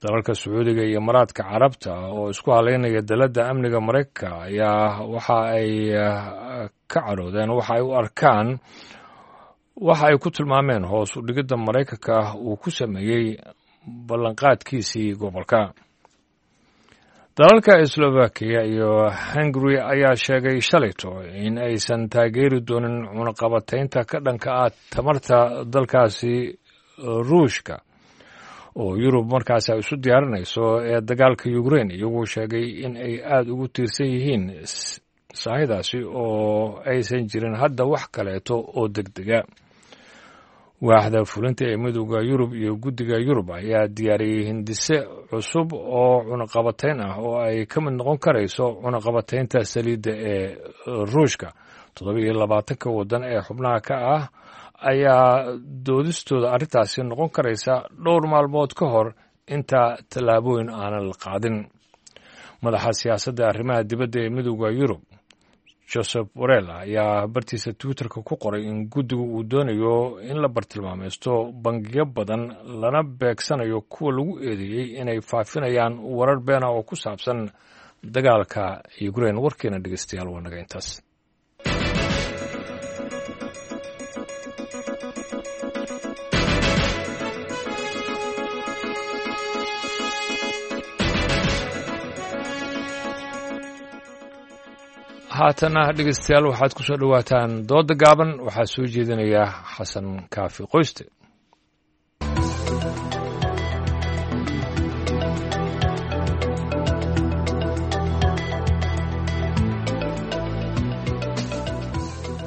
Speaker 1: Dalalka Sacuudiga iyo Imaaraadka Carabta oo isku haleynaya daladda amniga Maraykanka ayaa waxa ay ka cadhoodeen waxa ay u arkaan waxa ay ku tilmaameen hoos u dhigidda Maraykanka uu ku sameeyey ballanqaadkiisii gobolka. Dalalka Slovakia iyo Hungary ayaa sheegay shalayto in aysan taageeri doonin cunaqabataynta ka dhanka ah tamarta dalkaasi Ruushka oo Yurub markaasi ay isu diyaarinayso ee dagaalka Ukraine, iyagoo sheegay in ay aada ugu tiirsan yihiin saahidaasi oo aysan jirin hadda wax kaleeto oo degdega. Waaxda fulinta ee Midowda Yurub iyo Guddiga Yurub ayaa diyaariyey hindise cusub oo cunaqabatayn ah oo ay ka mid noqon karayso cunaqabataynta saliidda ee Ruushka. Toddoba iyo labaatanka waddan ee xubnaha ka ah ayaa doodistooda arrintaasi noqon karaysa dhowr maalmood ka hor inta tallaabooyin aanan la qaadin. Madaxa siyaasadda arrimaha dibadda ee Midowda Yurub Joseph Borrell ayaa bartiisa Twitterka ku qoray in guddigu uu doonayo in la bartilmaamaysto bangiyo badan lana beegsanayo kuwa lagu eedeeyey inay faafinayaan warar beena oo ku saabsan dagaalka Ukraine. Warkeena dhegeystayaal waa naga intaas. Haatana dhegeystayaal waxaad ku soo dhowaataan dooda gaaban, waxaa soo jeedinaya Xasan Kaafi Qoyste.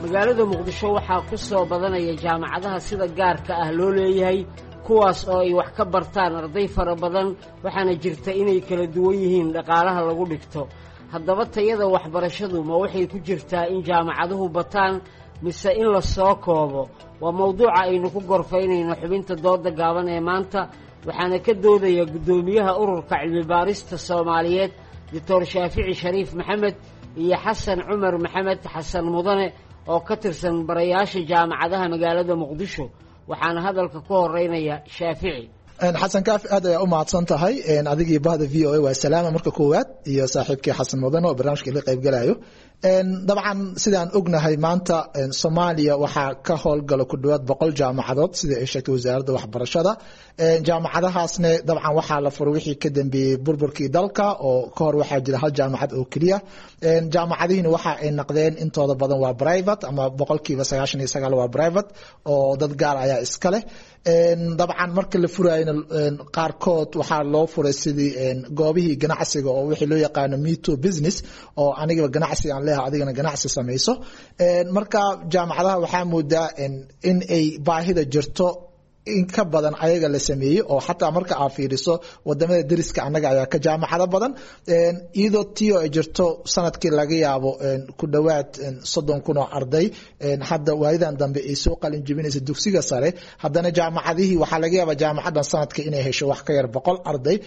Speaker 11: Magaalada Muqdisho waxaa ku soo badanaya jaamacadaha sida gaarka ah loo leeyahay, kuwaas oo ay wax ka bartaan arday fara badan, waxaana jirta inay kala duwan yihiin dhaqaalaha lagu dhigto. Haddaba tayada waxbarashadu ma waxay ku jirtaa in jaamacaduhu bataan mise in la soo koobo? Waa mawduuca aynu ku gorfaynayno xubinta dooda gaaban ee maanta, waxaana ka doodaya guddoomiyaha ururka cilmibaarista Soomaaliyeed Doctor Shaafici Shariif Maxamed iyo Xasan Cumar Maxamed Xasan Mudane oo ka tirsan barayaasha jaamacadaha magaalada Muqdisho. Waxaana hadalka ku horeynaya Shaafici.
Speaker 12: Xasan Kaafi, aad ayaa u mahadsan tahay adigii bahda V O A. Waa salaama marka koowaad iyo saaxiibkii Xasan Mudane oo barnaamijka ila qaybgalayo. Dabcan sidaan ognahay maanta Soomaaliya waxaa ka howlgala ku dhawaad boqol jaamacadood sida ay sheegtay wasaaradda waxbarashada. Jaamacadahaasne dabcan waxaa la furay wixii ka dambeeyey burburkii dalka, oo ka hor waxaa jira hal jaamacad oo keliya. Jaamacadihiina waxa ay naqdeen intooda badan waa private, ama boqolkiiba sagaashan iyo sagaal waa private oo dad gaar ayaa iska leh. Dabcan marka la furayna qaarkood waxaa loo furay sidii goobihii ganacsiga oo wixii loo yaqaano me too business, oo anigaba ganacsi aan leeyahay adigana ganacsi samayso. Marka jaamacadaha waxaa moodaa in ay baahida jirto In ka badan ayaga la sameeyey oo xataa marka aad fiiriso wadamada deriska annaga ayaa ka jaamacado badan, iyadoo tii oo ay jirto sanadkii laga yaabo ku dhowaad soddon kun oo arday hadda waayadan dambe ay soo qalin jebinaysa dugsiga sare, haddana jaamacadihii waxaa laga yaabaa jaamacadan sanadka inay hesho wax ka yar boqol arday,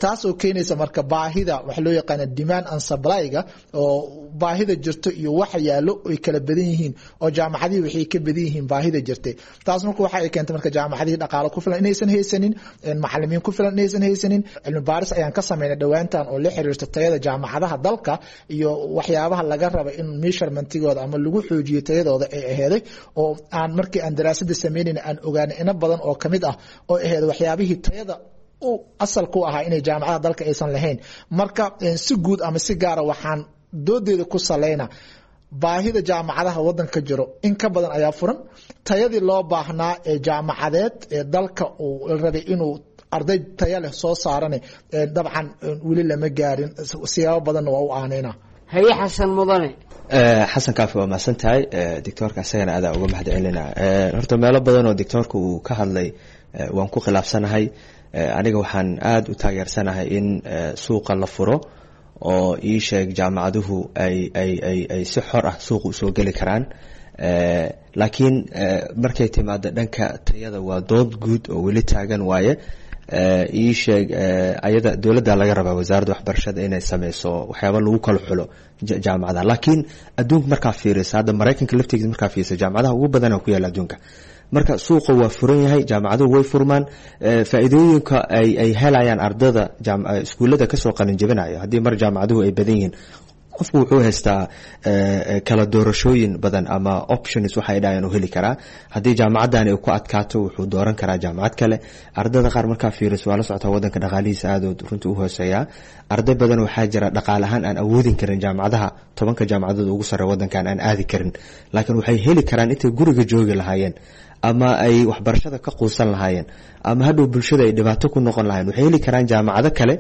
Speaker 12: taas oo keenaysa marka baahida waxa loo yaqaana demand and supply-ga, oo baahida jirto iyo waxa yaalo ay kala badan yihiin, oo jaamacadihii waxay ka badan yihiin baahida jirtay. Taas marka waxa ay keentay marka jaamacadihii dhaqaalo ku filan inaysan haysanin, macalimiin ku filan inaysan haysanin. Cilmi baaris ayaan ka sameynay dhowaantan oo la xiriirta tayada jaamacadaha dalka iyo waxyaabaha laga raba in measurementigooda ama lagu xoojiyo tayadooda ay aheeday, oo aan markii aan daraasada sameynayna aan ogaanay ina badan oo kamid ah oo aheeday waxyaabihii tayada u asalku ahaa inay jaamacadaha dalka aysan lahayn. Marka si guud ama si gaara waxaan doodeeda ku saleyna baahida jaamacadaha wadanka ka jiro in ka badan ayaa furan, tayadii loo baahnaa ee jaamacadeed ee dalka uu rabay inuu arday taya leh soo saarane dabcan weli lama gaarin, siyaabo badanna waa u aaneyna.
Speaker 11: Haye Xasan Mudane.
Speaker 10: Xasan Kaafi, waa mahadsan tahay. Doctoorka isagana aadaa uga mahad celina. Horta meelo badan oo doctoorka uu ka hadlay waan ku khilaafsanahay. Aniga waxaan aada u taageersanahay in suuqa la furo oo ii sheeg jaamacaduhu ay ay ay ay si xor ah suuqa usoo geli karaan, laakiin markay timaado dhanka tayada waa dood guud oo weli taagan waaye. Ii sheeg, ayada dowladda laga rabaa, wasaaradda waxbarashada, inay sameyso waxyaaba lagu kala xulo jaamacadaha. Laakiin adduunka markaa fiirisa, hadda Maraykanka laftigiisa markaa fiirisa, jaamacadaha ugu badana ku yaala adduunka. Marka suuqa waa furan yahay, jaamacaduhu way furmaan, faa'iidooyinka ay ay helayaan ardada iskuullada kasoo qalin jebinayo haddii mar jaamacaduhu ay badan yihiin, qofku wuxuu haystaa kala doorashooyin badan ama options waxay dhahayaan uu heli karaa. Haddii jaamacaddan ay ku adkaato, wuxuu dooran karaa jaamacad kale. Ardada qaar markaa fiiriso, waa la socotaa wadanka dhaqaalihiisa aad runtii u hooseeyaa. Arday badan waxaa jira dhaqaale ahaan aan awoodin karin jaamacadaha tobanka jaamacadood ugu sarre wadankan aan aadi karin, laakiin waxay heli karaan intay guriga joogi lahaayeen ama ay waxbarashada ka quusan lahaayeen ama hadhow bulshada ay dhibaato ku noqon lahayen, waxay heli karaan jaamacado kale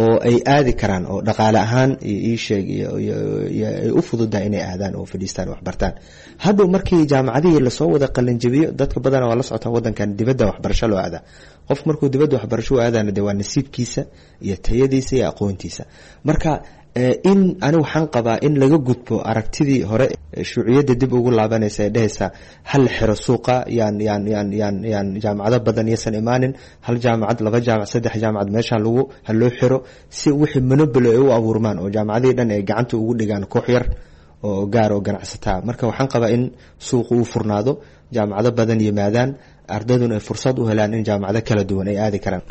Speaker 10: oo ay aadi karaan oo dhaqaale ahaan iyo iisheeg iyo ay u fududahay inay aadaan oo fadhiistaan oo waxbartaan. Hadhow markii jaamacadihii lasoo wada qalinjabiyo, dadka badana waa la socotaa wadankan dibadda waxbarasho loo aadaa. Qof markuu dibadda waxbarasho u aadana de waa nasiibkiisa iyo tayadiisa iyo aqoontiisa. Marka in ani waxaan qabaa in laga gudbo aragtidii hore shuuciyadda dib ugu laabanaysa ee dhehaysa hal xiro suuqa, yaan yaan yaan yaan yaan jaamacado badan yaysan imaanin, hal jaamacad, laba jaamacad, saddex jaamacad meesha lagu ha loo xiro si wixii monopoly ay u abuurmaan oo jaamacadihii dhan ay gacanta ugu dhigaan koox yar oo gaar oo ganacsataa. Marka waxaan qabaa in suuqa uu furnaado, jaamacado badan yimaadaan, ardayduna ay fursad u helaan in jaamacado kala duwan ay aadi karaan.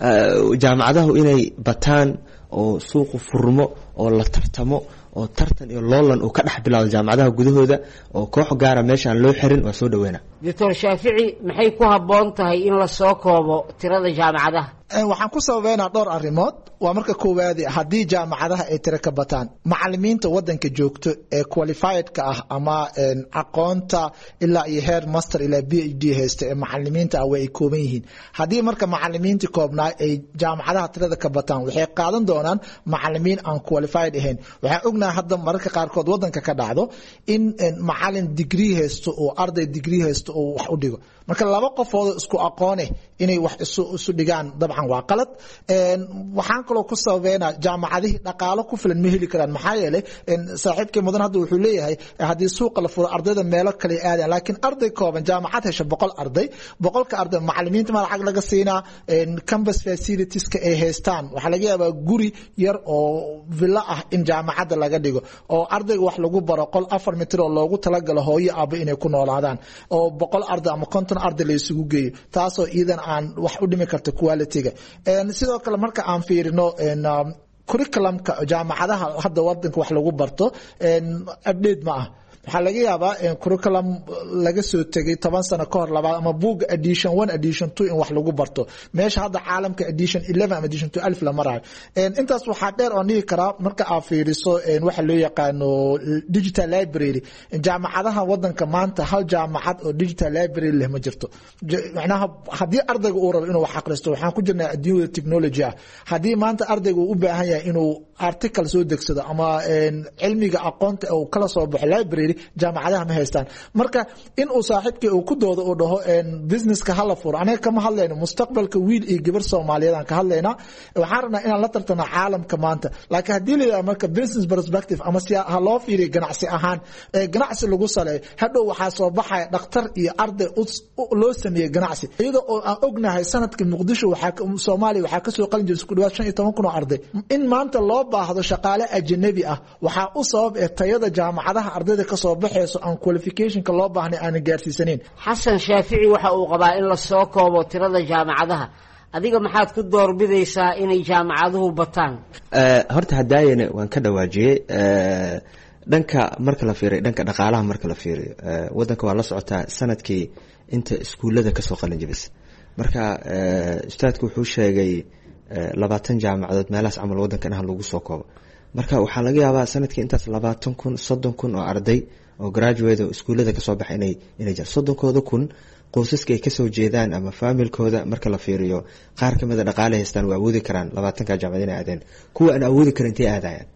Speaker 10: Jaamacadahu inay bataan oo suuqu furmo oo la tartamo oo tartan iyo loolan uu ka dhex bilaado jaamacadaha gudahooda oo koox gaara meeshaan loo xirin, waa soo dhaweyna.
Speaker 11: Doctor Shaafici, maxay ku habboon tahay in la soo koobo tirada jaamacadaha?
Speaker 12: Waxaan ku sababeynaa dhowr arrimood. Waa marka koowaadi, haddii jaamacadaha ay tiro ka bataan, macalimiinta wadanka joogto ee qualifiedka ah ama aqoonta ilaa iyo heer master ilaa P H D haysta ee macalimiinta ah way ay kooban yihiin. Haddii marka macalimiintii koobnaa ay jaamacadaha tirada ka bataan, waxay qaadan doonaan macalimiin aan qualified ahayn. Waxaan ognahay hadda mararka qaarkood wadanka ka dhacdo in macalin degree haysto oo arday degree haysto oo wax u dhigo. Marka laba qofood isku aqoone inay wax isu isu dhigaan dabcan waa qalad. Waxaan kaloo ku sababeynaa jaamacadihii dhaqaalo ku filan ma heli karaan, maxaa yeelay saaxiibkii mudan hadda wuxuu leeyahay haddii suuqa la furo ardayda meelo kale aadaan, laakiin arday kooban jaamacad hesha boqol arday, boqolka arday macalimiinta ma lacag laga siinaa, campus facilitieska ay haystaan waxaa laga yaabaa guri yar oo villa ah in jaamacadda laga dhigo oo ardayga wax lagu baro qol afar mitir oo loogu talagalo hooyo aabo inay ku noolaadaan oo boqol arday ama konton arday la isugu geeyo, taasoo iidan aan wax u dhimi karto quality-ga. Sidoo kale marka aan fiirino curriculumka jaamacadaha hadda wadanka wax lagu barto, update ma ah. Waxaa laga yaabaa curriculum laga soo tegay toban sano ka hor labaad ama buugga edition one, edition two in wax lagu barto, meesha hadda caalamka edition eleven ama edition two alif la marayo. Intaas waxaa dheer oon dhihi karaa marka aad fiiriso waxa loo yaqaano digital library, jaamacadaha wadanka maanta hal jaamacad oo digital library leh ma jirto. Macnaha haddii ardayga uu rabo inuu wax akhristo, waxaan ku jirnaa adduunyada technology ah, haddii maanta ardayga uu u baahan yahay inuu article soo degsado ama cilmiga aqoonta uu kala soo baxo library, Jaamacadaha ma haystaan. Marka in uu saaxiibkii uu ku doodo uu dhaho businesska hala furo, anaga kama hadlayno mustaqbalka wiil iyo gabar Soomaaliyeed aan ka hadlaynaa. Waxaan rabnaa inaan la tartano caalamka maanta. Laakiin haddii la yidhaha marka business perspective ama si ha loo fiiriyo ganacsi ahaan, ee ganacsi lagu saleeyo, hadhow waxaa soo baxaya dhakhtar iyo arday loo sameeyey ganacsi, iyadoo oo aan ognahay sanadka Muqdisho waxaa Soomaaliya waxaa kasoo qalin jebisay ku dhawaad shan iyo toban kun oo arday. In maanta loo baahdo shaqaale ajnabi ah waxaa u sabab ee tayada jaamacadaha ardayda kasoo baxayso aan qualificationka loo baahnay aanan gaarsiisanayn.
Speaker 11: Xasan Shaafici waxa uu qabaa in la soo koobo tirada jaamacadaha. Adiga maxaad ku doorbidaysaa inay jaamacaduhu bataan?
Speaker 10: Horta hadaayana waan ka dhawaajiyey dhanka marka la fiiriyo, dhanka dhaqaalaha marka la fiiriyo, wadanka waa la socotaa sanadkii inta iskuullada kasoo qalin jebisa. Marka ustaadku wuxuu sheegay labaatan jaamacadood meelahaas camal wadankan ah lagu soo koobo. Marka waxaa laga yaabaa sanadkii intaas labaatan kun soddon kun oo arday oo graduate oo iskuullada kasoo baxa inay inay jiraan. Soddonkooda kun qoysaska ay kasoo jeedaan ama faamilkooda marka la fiiriyo, qaar kamida dhaqaale haystaan, waa awoodi karaan labaatanka jaamacad inay aadeen. Kuwa aan awoodi karin intay aadayaan?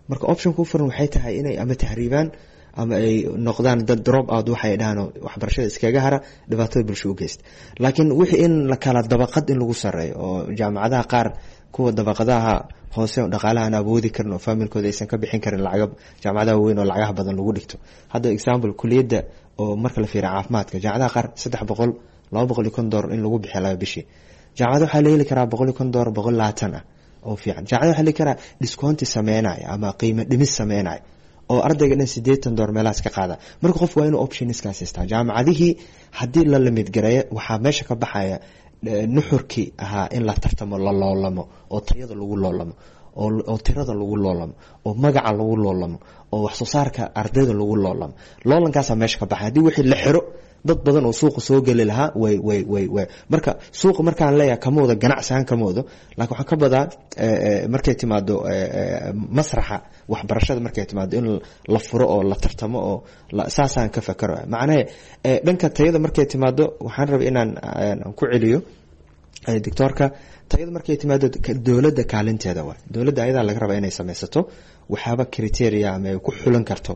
Speaker 10: Marka option ku furan waxay tahay inay ama tahriibaan ama ay noqdaan dad drop out waxay dhahaan, waxbarashada iskaga hara, dhibaatada bulsho u geysta. Laakiin wixii in la kala dabaqad in lagu sareeyo oo jaamacadaha qaar kuwa dabaqadaha hoose oo dhaqaalaha aan awoodi karin oo faamilkooda aysan ka bixin karin lacaga jaamacadaha weyn oo lacagaha badan lagu dhigto. Hadda example, kuliyadda oo marka la fiiriyo caafimaadka, jaamacadaha qaar saddex boqol, laba boqol iyo kon doolar in lagu bixiyo laba bishii. Jaamacada waxaa la heli karaa boqol iyo kon doolar, boqol labaatan ah oo fiican. Jaamacada waxaa la heli karaa discounti sameynaya ama qiimo dhimis sameynaya oo ardayga dhan siddeetan doolar meelahaas ka qaada. Marka qof waa inuu optionskaas haystaa. Jaamacadihii haddii la limit gareeyo, waxaa meesha ka baxaya nuxurkii ahaa in la tartamo, la loolamo, oo tayada lagu loolamo, oo tirada lagu loolamo, oo magaca lagu loolamo, oo wax soo saarka ardayda lagu loolamo. Loolankaasaa meesha ka baxay haddii wixii la xiro. Dad badan oo suuqa soo geli lahaa way way way way marka suuqa markaan leeyahay kama wado ganacsi ahaan kama wado, laakiin waxaan ka badaa markay timaado masraxa waxbarashada, markay timaado in la furo oo la tartamo oo saasaan ka fakaro. Macnahe dhanka tayada markay timaado, waxaan rabay inaan ku celiyo doctoorka. Tayada markay timaado, dowladda kaalinteeda waay. Dowladda ayadaa laga rabaa inay samaysato waxyaaba criteria ama ay ku xulan karto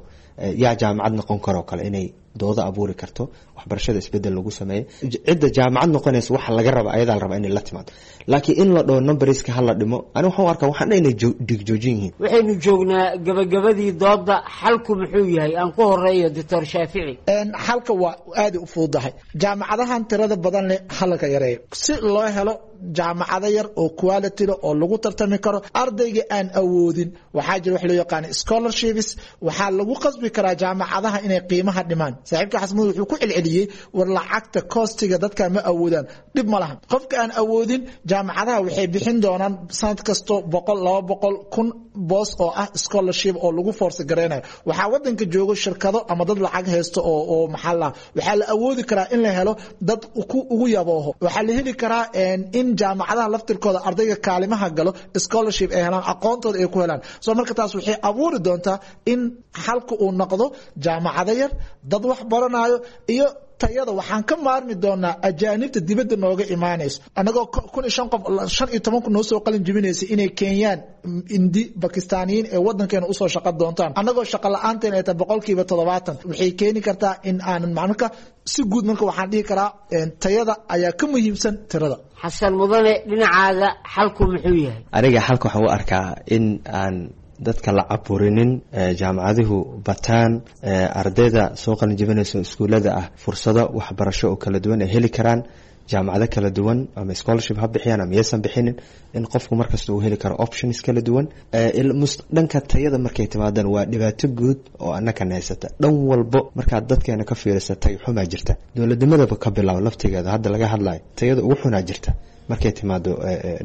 Speaker 10: yaa jaamacad noqon karoo kale, inay doodo abuuri karto, waxbarashada isbedel lagu sameeyo, cidda jaamacad noqonaysa waxa laga raba ayadaa la rabaa inay la timaado. Laakiin in la dhaho numberska hala dhimo, ani waxaan u arkaa waxaan dhan inay dhigjoojin yihiin.
Speaker 11: Waxaynu joognaa gabagabadii dooda. Xalku muxuu yahay? Aan ku horeeyo doctor Shaafici.
Speaker 12: Xalka waa aada u fududahay. Jaamacadahan tirada badan leh halaka yareeyo si loo helo jaamacado yar oo quality leh oo lagu tartami karo. Ardayga aan awoodin, waxaa jira wax loo yaqaano scholarships. Waxaa lagu qasbi karaa jaamacadaha inay qiimaha dhimaan. Saaxiibka Xasmud wuxuu ku celceliyey war lacagta costiga dadka ma awoodaan. Dhib ma lahan qofka aan awoodin. Jaamacadaha waxay bixin doonaan sanad kasto boqol, laba boqol kun boos oo ah scholarship oo lagu force gareynayo. Waxaa wadanka joogo shirkado ama dad lacag haysto oo oo maxaa la waxaa la awoodi karaa in la helo dad ku ugu yabooho. Waxaa la heli karaa in jaamacadaha laftirkooda ardayga kaalimaha galo scholarship ay helaan, aqoontooda ay ku helaan. So marka taas waxay abuuri doontaa in xalka uu noqdo jaamacado yar, dad wax baranayo iyo tayada. Waxaan ka maarmi doonaa ajaanibta dibadda nooga imaanayso, annagoo kun iyo shan qof, shan iyo toban kun noo soo qalin jebinaysa, inay Kenyaan, Indi, Bakistaaniyiin ee wadankeena usoo shaqo doontaan, annagoo shaqo la-aanteena ay tahay boqolkiiba toddobaatan. Waxay keeni kartaa in aanan marka si guud marka waxaan dhihi karaa tayada ayaa ka muhiimsan tirada.
Speaker 11: Xasan Mudane, dhinacaada xalku muxuu yahay?
Speaker 10: Aniga xalka waxaan u arkaa in aan dadka la caburinin, jaamacaduhu bataan, ardayda soo qalin jebinaysa iskuullada ah fursado waxbarasho oo kala duwan ay heli karaan, jaamacado kala duwan, ama scholarship ha bixiyaan ama yaysan bixinin, in qofku markasta uu heli karo options kala duwan. Dhanka tayada markay timaadaan, waa dhibaato guud oo annakan haysata dhan walbo. Markaad dadkeena ka fiirisa, tay xumaa jirta. Dowladnimadaba ka bilaabo laftigeeda hadda laga hadlayo, tayada ugu xunaa jirta markay timaado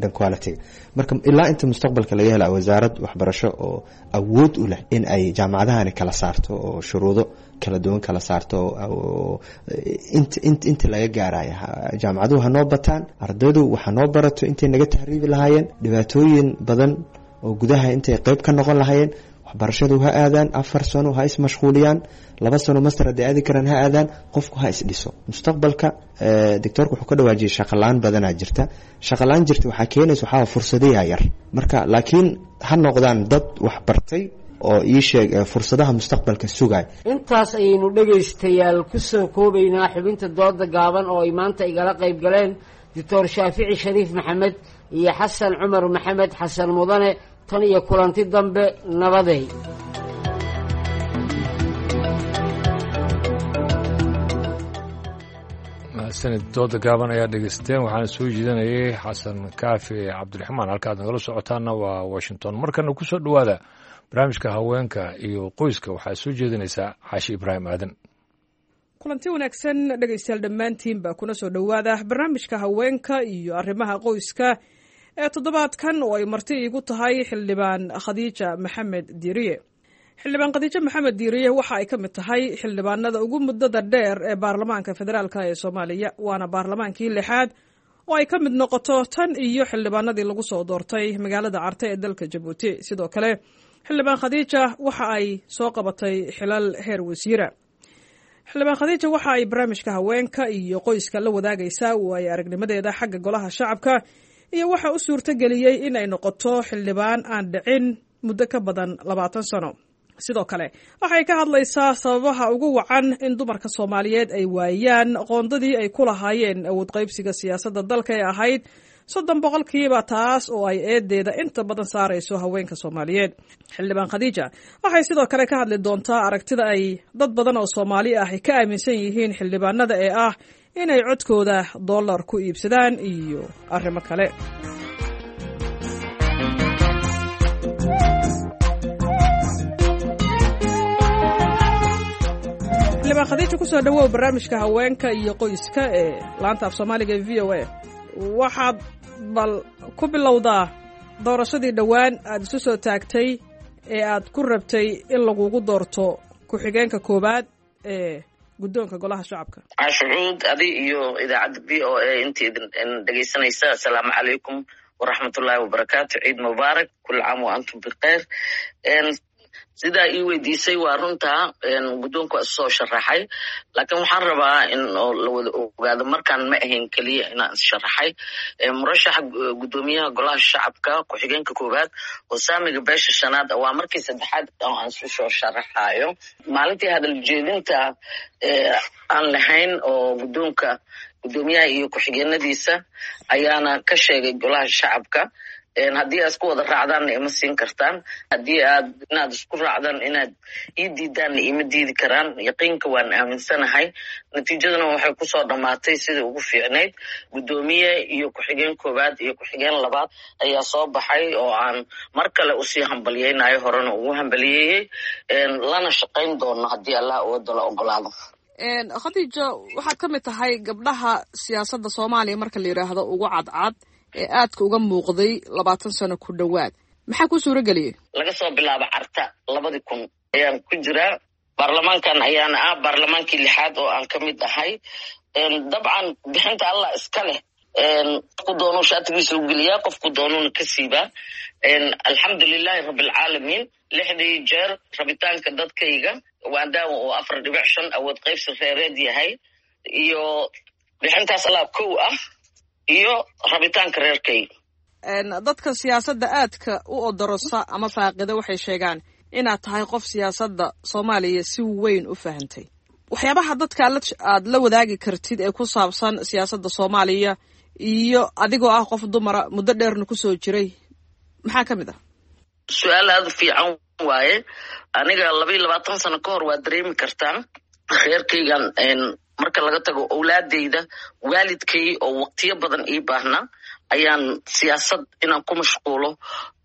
Speaker 10: dhan quality. Marka ilaa inta mustaqbalka laga hela wasaarad waxbarasho oo awood u leh in ay jaamacadahani kala saarto oo shuruudo kala duwan kala saarto, int int inta laga gaaraya, jaamacaduhu hanoo bataan, ardaydu waxa noo barato intay naga tahriibi lahaayeen, dhibaatooyin badan oo gudaha intay qeyb ka noqon lahaayeen, waxbarashadu ha aadaan afar sano, ha ismashquuliyaan, laba sano master hadday aadi karaan ha aadaan, qofku ha isdhiso mustaqbalka. Doctoorka wuxuu ka dhawaajiyay shaqalaan badanaa jirta. Shaqalaan jirta waxaa keenaysa waxaa fursadayaa yar. Marka laakiin ha noqdaan dad wax bartay oo ii sheeg fursadaha mustaqbalka sugay.
Speaker 11: Intaas ayaynu dhegaystayaal ku soo koobaynaa xubinta dooda gaaban oo ay maanta igala qayb galeen Doctor Shaafici Shariif Maxamed iyo Xasan Cumar Maxamed Xasan Mudane. Tan iyo kulanti dambe, nabaday.
Speaker 1: Sanad dooda gaaban ayaa dhegeysteen, waxaana soo jeedinayay Xasan Kaafi Cabdiraxmaan. Halkaad nagala socotaana waa Washington. Markana ku soo dhowaada barnaamijka haweenka iyo qoyska, waxaa soo jeedinaysaa Xaashi Ibraahim Aadan.
Speaker 13: Kulanti wanaagsan dhegaystayaal dhammaantiinba, kuna soo dhowaada barnaamijka haweenka iyo arrimaha qoyska ee toddobaadkan oo ay marti iigu tahay Xildhibaan Khadiija Maxamed Diiriye. Xildhibaan Khadiijo Maxamed Diiriye waxa ay ka mid tahay xildhibaanada ugu muddada dheer ee baarlamaanka federaalka ee Soomaaliya, waana baarlamaankii lixaad oo ay ka mid noqoto tan iyo xildhibaanadii lagu soo doortay magaalada Carte ee dalka Jabuuti. Sidoo kale Xildhibaan Khadiija waxa ay soo qabatay xilal heer wasiira. Xildhibaan Khadiija waxa ay barnaamijka haweenka iyo qoyska la wadaagaysaa waayo aragnimadeeda xagga golaha shacabka iyo waxa u suurtageliyey in ay noqoto xildhibaan aan dhicin muddo ka badan labaatan sano. Sidoo kale waxay ka hadlaysaa sababaha ugu wacan in dumarka Soomaaliyeed ay waayaan qoondadii ay ku lahaayeen awood qaybsiga siyaasadda dalka ee ahayd soddon boqolkiiba, taas oo ay eedeeda inta badan saarayso haweenka Soomaaliyeed. Xildhibaan Khadiija waxay sidoo kale ka hadli doontaa aragtida ay dad badan oo Soomaali ah ka aaminsan yihiin xildhibaanada ee ah inay codkooda dollar ku iibsadaan iyo arrimo kale. Xildhibaan Khadiija, kusoo dhawow barnaamijka haweenka iyo qoyska ee laanta af Soomaaliga ee V O A. Waxaad bal ku bilowdaa doorashadii dhowaan aada isu soo taagtay ee aad ku rabtay in lagugu doorto ku-xigeenka koowaad ee guddoonka golaha shacabka.
Speaker 4: Cashucuud, adi iyo idaacadda V O A inta idin dhegaysanaysa, assalaamu calaykum waraxmatullaahi wabarakaatu. Ciid mubaarak, kul caam wa antum bikhayr. Sidaa ii weydiisay waa runtaa, guddoonka waa isusoo sharaxay, laakiin waxaan rabaa in la wada ogaado markaan ma ahayn keliya inaan issharaxay. Murashaxa guddoomiyaha golaha shacabka ku-xigeenka koowaad oo saamiga beesha shanaad waa markii saddexaad oo aan isu soo sharaxayo. Maalintii hadal jeedinta aan lahayn oo guddoonka guddoomiyaha iyo ku-xigeenadiisa ayaana ka sheegay golaha shacabka, haddii aad isku wada raacdaanna ima siin kartaan, haddii aad inaad isku raacdaan inaad ii diidaanna ima diidi karaan. Yaqiinka waan aaminsanahay, natiijaduna waxay kusoo dhammaatay sidii ugu fiicnayd. Guddoomiye iyo ku-xigeen koowaad iyo ku-xigeen labaad ayaa soo baxay oo aan mar kale usii hambalyeynayo, horena ugu hambaliyeeyey, lana shaqayn doono haddii Allah awooda la ogolaado.
Speaker 13: Khadiijo, waxaad ka mid tahay gabdhaha siyaasadda Soomaaliya marka la yidhaahdo ugu cadcad ee aadka uga muuqday labaatan sano ku dhowaad. Maxaa kuu suura geliyey?
Speaker 4: Laga soo bilaabo Carta labadii kun ayaan ku jiraa baarlamaankan, ayaana ah baarlamaankii lixaad oo aan ka mid ahay. Dabcan bixinta Allah iska leh, qofku doonuu shaatigiisa u geliyaa, qofku doonuuna ka siibaa. Alxamdulilaahi rabbilcaalamiin, lixdii jeer rabitaanka dadkayga waandaawa oo afar dhibic shan awood qaybsi reereed yahay iyo bixintaas Allah kow ah iyo rabitaanka reerkayga.
Speaker 13: Dadka siyaasadda aadka u odorosa ama faaqida waxay sheegaan inaad tahay qof siyaasadda Soomaaliya si weyn u fahantay. Waxyaabaha dadka aad la wadaagi kartid ee ku saabsan siyaasadda Soomaaliya iyo adigoo ah qof dumara muddo dheerna kusoo jiray, maxaa ka mid ah?
Speaker 4: Su-aal aada u fiican waaye. Aniga laba iyo labaatan sano ka hor waa dareemi kartaa reerkaygan marka laga tago owlaadeyda, waalidkay oo waqtiyo badan ii baahnaa ayaan siyaasad inaan ku mashquulo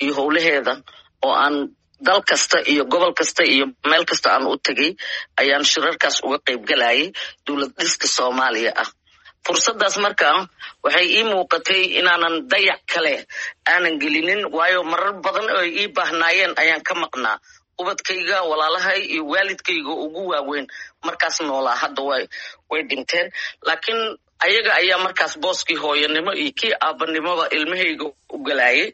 Speaker 4: iyo howlaheeda oo aan dal kasta iyo gobol kasta iyo meel kasta aan u tegay ayaan shirarkaas uga qayb galayay dowlad dhiska Soomaaliya ah. Fursaddaas markaa waxay ii muuqatay inaanan dayac kale aanan gelinin, waayo marar badan oo ay ii baahnaayeen ayaan ka maqnaa. Ubadkayga, walaalahay iyo waalidkayga ugu waaweyn markaas noolaa hadda way way dhinteen, laakiin ayaga ayaa markaas booskii hooyanimo iyo kii aabanimoba ilmahayga u galayay.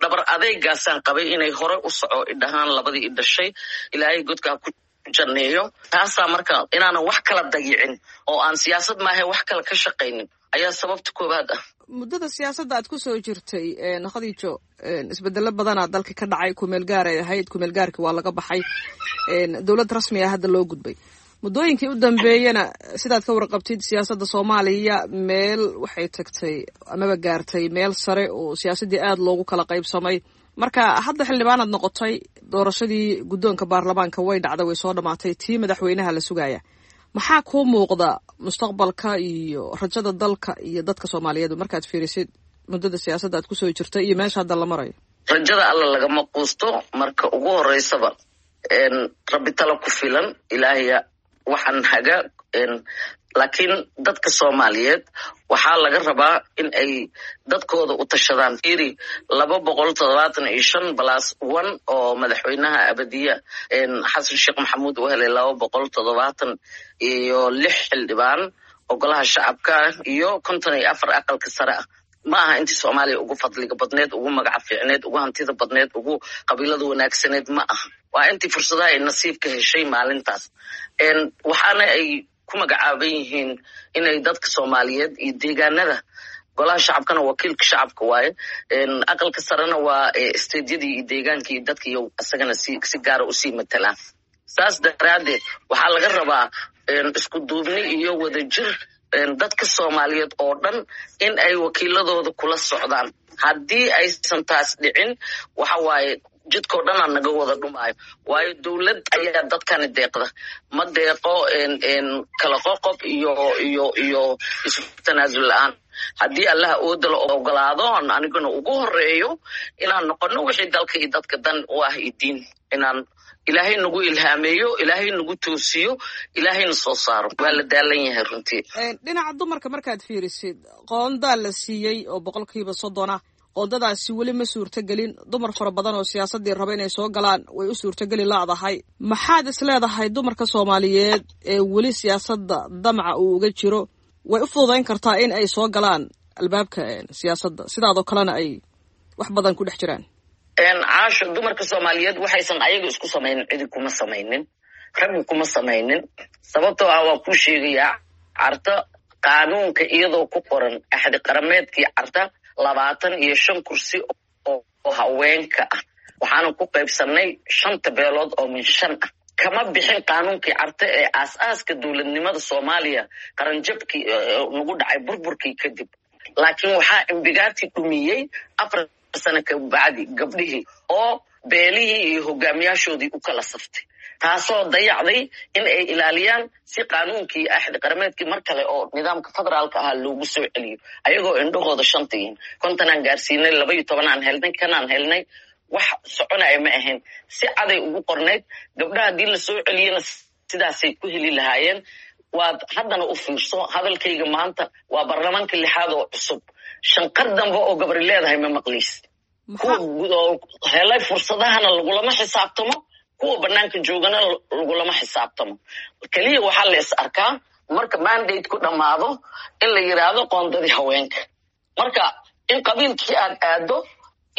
Speaker 4: Dhabar adeygaasaan qabay inay hore u soco idhahaan labadii i dhashay, ilaahay godkaa ku janneeyo. Taasaa marka inaanan wax kala dayicin oo aan siyaasad maahe wax kale ka shaqaynin Ayaa sababta koowaad ah.
Speaker 13: Muddada siyaasadda aad ku soo jirtay, Khadiijo, isbedelo badanaa dalka ka dhacay. Kumeel gaar ay ahayd, kumeel gaarki waa laga baxay, dowlad rasmi ah hadda loo gudbay. Muddooyinkii u dambeeyena, sidaad ka warqabtid, siyaasadda Soomaaliya meel waxay tagtay amaba gaartay meel sare oo siyaasaddii aada loogu kala qaybsamay. Marka hadda xildhibaanaad noqotay, doorashadii guddoonka baarlamaanka way dhacday, way soo dhamaatay, tii madaxweynaha la sugaya. Maxaa kuu muuqda mustaqbalka iyo rajada dalka iyo dadka Soomaaliyeed markaad fiirisid muddada siyaasadda aad kusoo jirtay iyo meesha hadda la marayo?
Speaker 4: Rajada Alla lagama quusto. Marka ugu horeysaba, Rabbi tala ku filan, Ilaahaya waxaan haga. Laakiin dadka Soomaaliyeed waxaa laga rabaa in ay dadkooda u tashadaan. Fiiri, laba boqol toddobaatan iyo shan plus one oo madaxweynaha abadiya Xasan Sheekh Maxamuud uu helay, laba boqol toddobaatan iyo lix xildhibaan oo golaha shacabka iyo konton iyo afar aqalka sare ah, ma aha intii Soomaaliya ugu fadliga badneed, ugu magaca fiicneed, ugu hantida badneed, ugu qabiilada wanaagsaneed ma aha. Waa intii fursadaha ay nasiibka heshay maalintaas. Waxaana ay ku magacaaban yihiin inay dadka Soomaaliyeed iyo deegaanada, golaha shacabkana wakiilka shacabka waaye, aqalka sarena waa stateyadii iyo deegaanka iyo dadka iyo isagana si si gaara usii matalaan. Saas daraaddeed waxaa laga rabaa isku duubni iyo wadajir dadka Soomaaliyeed oo dhan in ay wakiiladooda kula socdaan. Haddii aysan taas dhicin, waxa waaye jidkao dhan aa naga wada dhumaayo, waayo dowlad ayaa dadkani deeqda, ma deeqo kala qoqob iyo iyo iyo isu tanaasul la-aan. Haddii Allaha ooda la ogolaado, aniguna ugu horeeyo inaan noqono wixii dalka iyo dadka dan u ah iyo diin, inaan Ilaahay nagu ilhaameeyo, Ilaahay nagu toosiyo, Ilaahayna soo saaro. Waa la daalan yahay runtii.
Speaker 13: Dhinaca dumarka markaad fiirisid, qoondaa la siiyey oo boqolkiiba soddon ah. Qoondadaasi weli ma suurtogelin. Dumar fara badan oo siyaasaddii raba inay soo galaan way u suurtogeli laadahay. Maxaad is leedahay dumarka Soomaaliyeed ee weli siyaasadda damca uu uga jiro way u fududayn kartaa in ay soo galaan albaabka siyaasadda, sidaadoo kalena ay wax badan ku dhex jiraan?
Speaker 4: Caasho, dumarka Soomaaliyeed waxaysan ayaga isku samaynin cidi kuma samaynin, raggu kuma samaynin. Sababtoo ah waa kuu sheegayaa, Carta qaanuunka iyadoo ku qoran axdi qarameedkii Carta, labaatan iyo shan kursi oo haweenka ah, waxaana ku qaybsanay shanta beelood oo min shan ah. Kama bixin qaanuunkii Carte ee aas-aaska dowladnimada Soomaaliya qaranjabkii nagu dhacay burburkii kadib. Laakiin waxaa imbigaati dhumiyey afar sano kabacdi gabdhihii oo beelihii iyo hogaamiyaashoodii u kala saftay, taasoo dayacday in ay ilaaliyaan si qaanuunkii axdi qarameedkii mar kale oo nidaamka federaalka ahaa loogu soo celiyo, ayagoo indhahooda shanta yihiin. Kontonaan gaarsiinay, laba iyo tobanaan helnay, kanaan helnay, wax soconaya ma ahayn. Si caday ugu qornayd, gabdhaha haddii la soo celiyana sidaasay ku heli lahaayeen. Waad haddana u fiirso hadalkayga maanta, waa baarlamaanka lixaad oo cusub, shanqar dambe oo gabri leedahay ma maqliys. Kuwa helay fursadahana lagulama xisaabtamo, kuwa banaanka joogana lagulama xisaabtamo. Keliya waxaa la is arkaa marka mandate ku dhammaado in la yiraahdo qoondadii haweenka. Marka in qabiilkii aad aado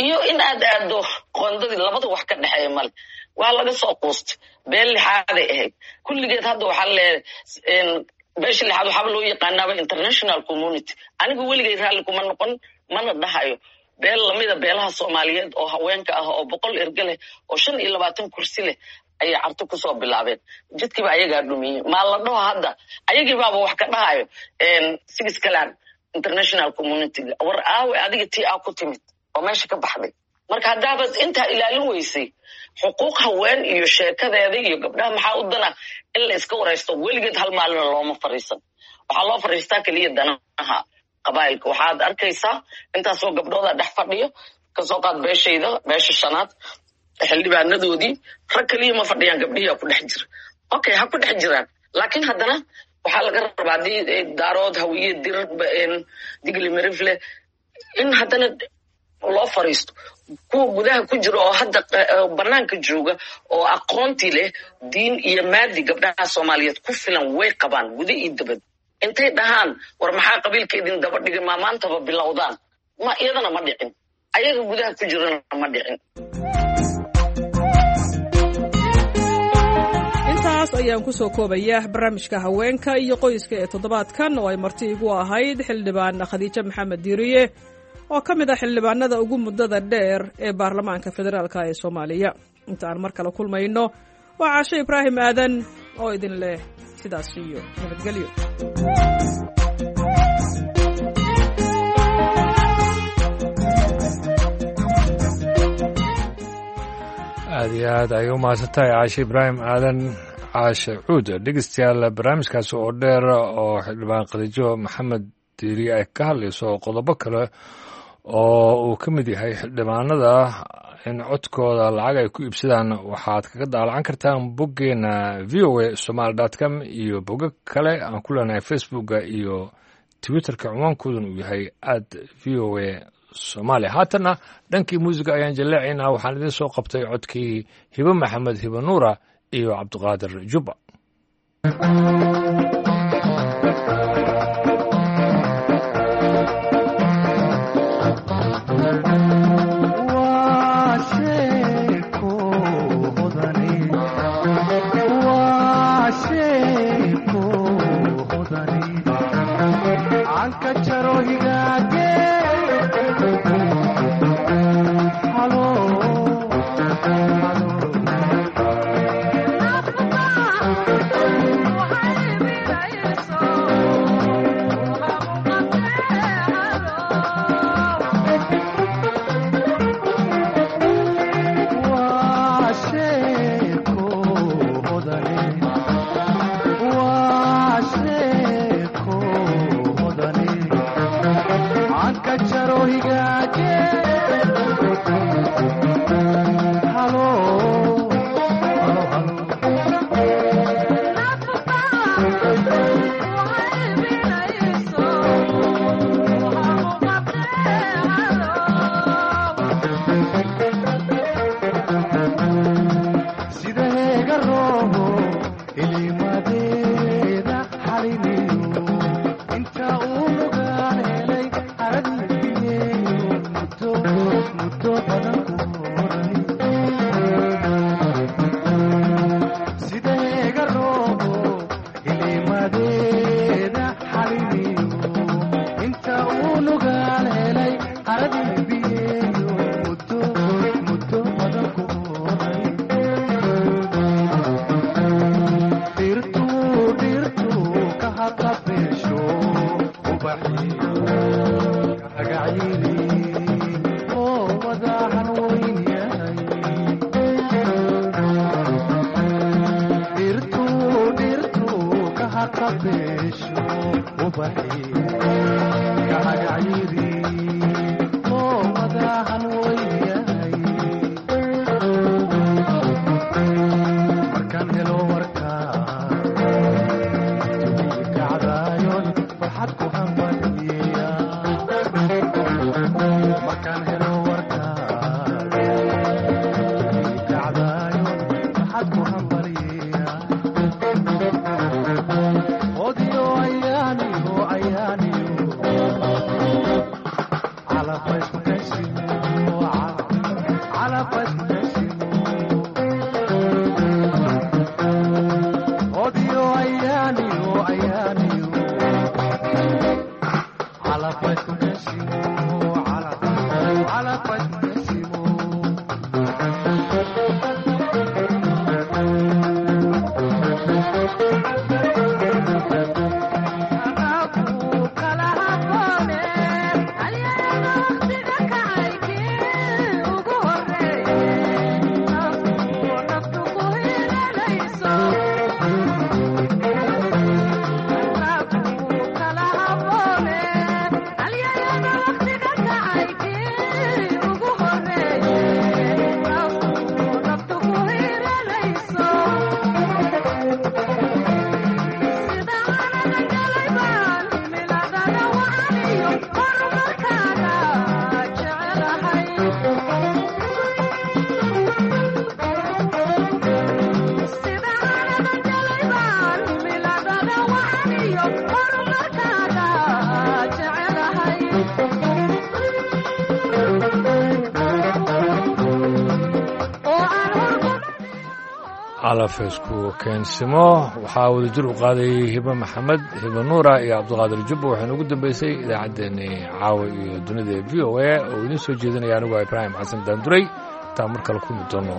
Speaker 4: iyo in aad aado qoondadii, labada wax ka dhexeeya male. Waa laga soo quustay. Beel lixaaday ahayd kulligeed. Hadda waxaa leeyahay beesha lixaad waxaaba loo yaqaanaaba international community. Anigu weligay raalli kuma noqon, mana dhahayo. Beel lamida beelaha Soomaaliyeed oo haweenka ah oo boqol erge leh oo shan iyo labaatan kursi leh ayay Carto kusoo bilaabeen. Jidkiiba ayagaa dhumiyey. Maa la dhaho hadda ayagii baaba wax ka dhahayo six clan international community. War aawe adiga tii aa ku timid oo meesha ka baxday? Marka haddaabad intaa ilaalin weysay xuquuq haween iyo sheekadeeda iyo gabdhaha, maxaa u dana in la iska waraysto? Weligeed hal maalina looma fariisan. Waxaa loo fariistaa keliya danaha qabaa'ilka. Waxaad arkaysaa intaasoo gabdhooda dhex fadhiyo. Kasoo qaad beeshayda, beesha shanaad, xildhibaanadoodii rag keliya ma fadhiyaan, gabdhihiia ku dhex jira. Okay, ha ku dhex jiraan, laakiin haddana waxaa laga rabaa haddii Daarood, Hawiye, Dir, Digli, Mirifle in haddana loo fariisto. Kuwa gudaha ku jira oo hadda banaanka jooga oo aqoontii leh, diin iyo maadi gabdhaha Soomaaliyeed ku filan way qabaan guda iyo dabad. Intay dhahaan war maxaa qabiilka idin daba dhigay, maa maantaba bilowdaan? Ma iyadana ma dhicin, ayaga gudaha ku jirana ma dhicin.
Speaker 13: Intaas ayaan ku soo koobaya barnaamijka haweenka iyo qoyska ee toddobaadkan oo ay marti igu ahayd xildhibaan Khadiijo Maxamed Diiriye oo ka mid ah xildhibaanada ugu muddada dheer ee baarlamaanka federaalka ee Soomaaliya. Inta aan mar kale kulmayno, waa Caashe Ibraahim Aadan oo idin leh sidaas iyo nabadgelyo.
Speaker 1: Aad iyo aad ayay u mahadsantahay Caashe Ibraahim Aadan, Caashe Cuud. Dhegeystayaal, barnaamijkaasi oo dheer oo xildhibaan Khadiijo Maxamed Diiriye ay ka hadlayso qodobo kale oo uu ka mid yahay xildhibaanada in codkooda lacag ay ku iibsadaan, waxaad kaga daalacan kartaan boggeena V O A Somaali dot com iyo bogag kale aan ku leenahay Facebooka iyo Twitterka, cinwaankooduna uu yahay at V O A Soomaaliya. Haatanna dhankii muusiga ayaan jaleecaynaa. Waxaan idiin soo qabtay codkii Hibe Maxamed Hibe Nuura iyo Cabdiqaadir Jubba.
Speaker 14: Ugu
Speaker 1: Calafeysku keensimo waxaa wadajir u qaaday Hibe Maxamed, Hibe Nuura iyo Cabdiqaadir Jubba. Waxaynu ugu dambeysay idaacaddeenii caawa iyo dunida ee V O A oo idiin soo jeedinaya anigu Ibraahim Xasan Daanduray. Intaan mar kale kulmi doono,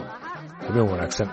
Speaker 1: habeen wanaagsan.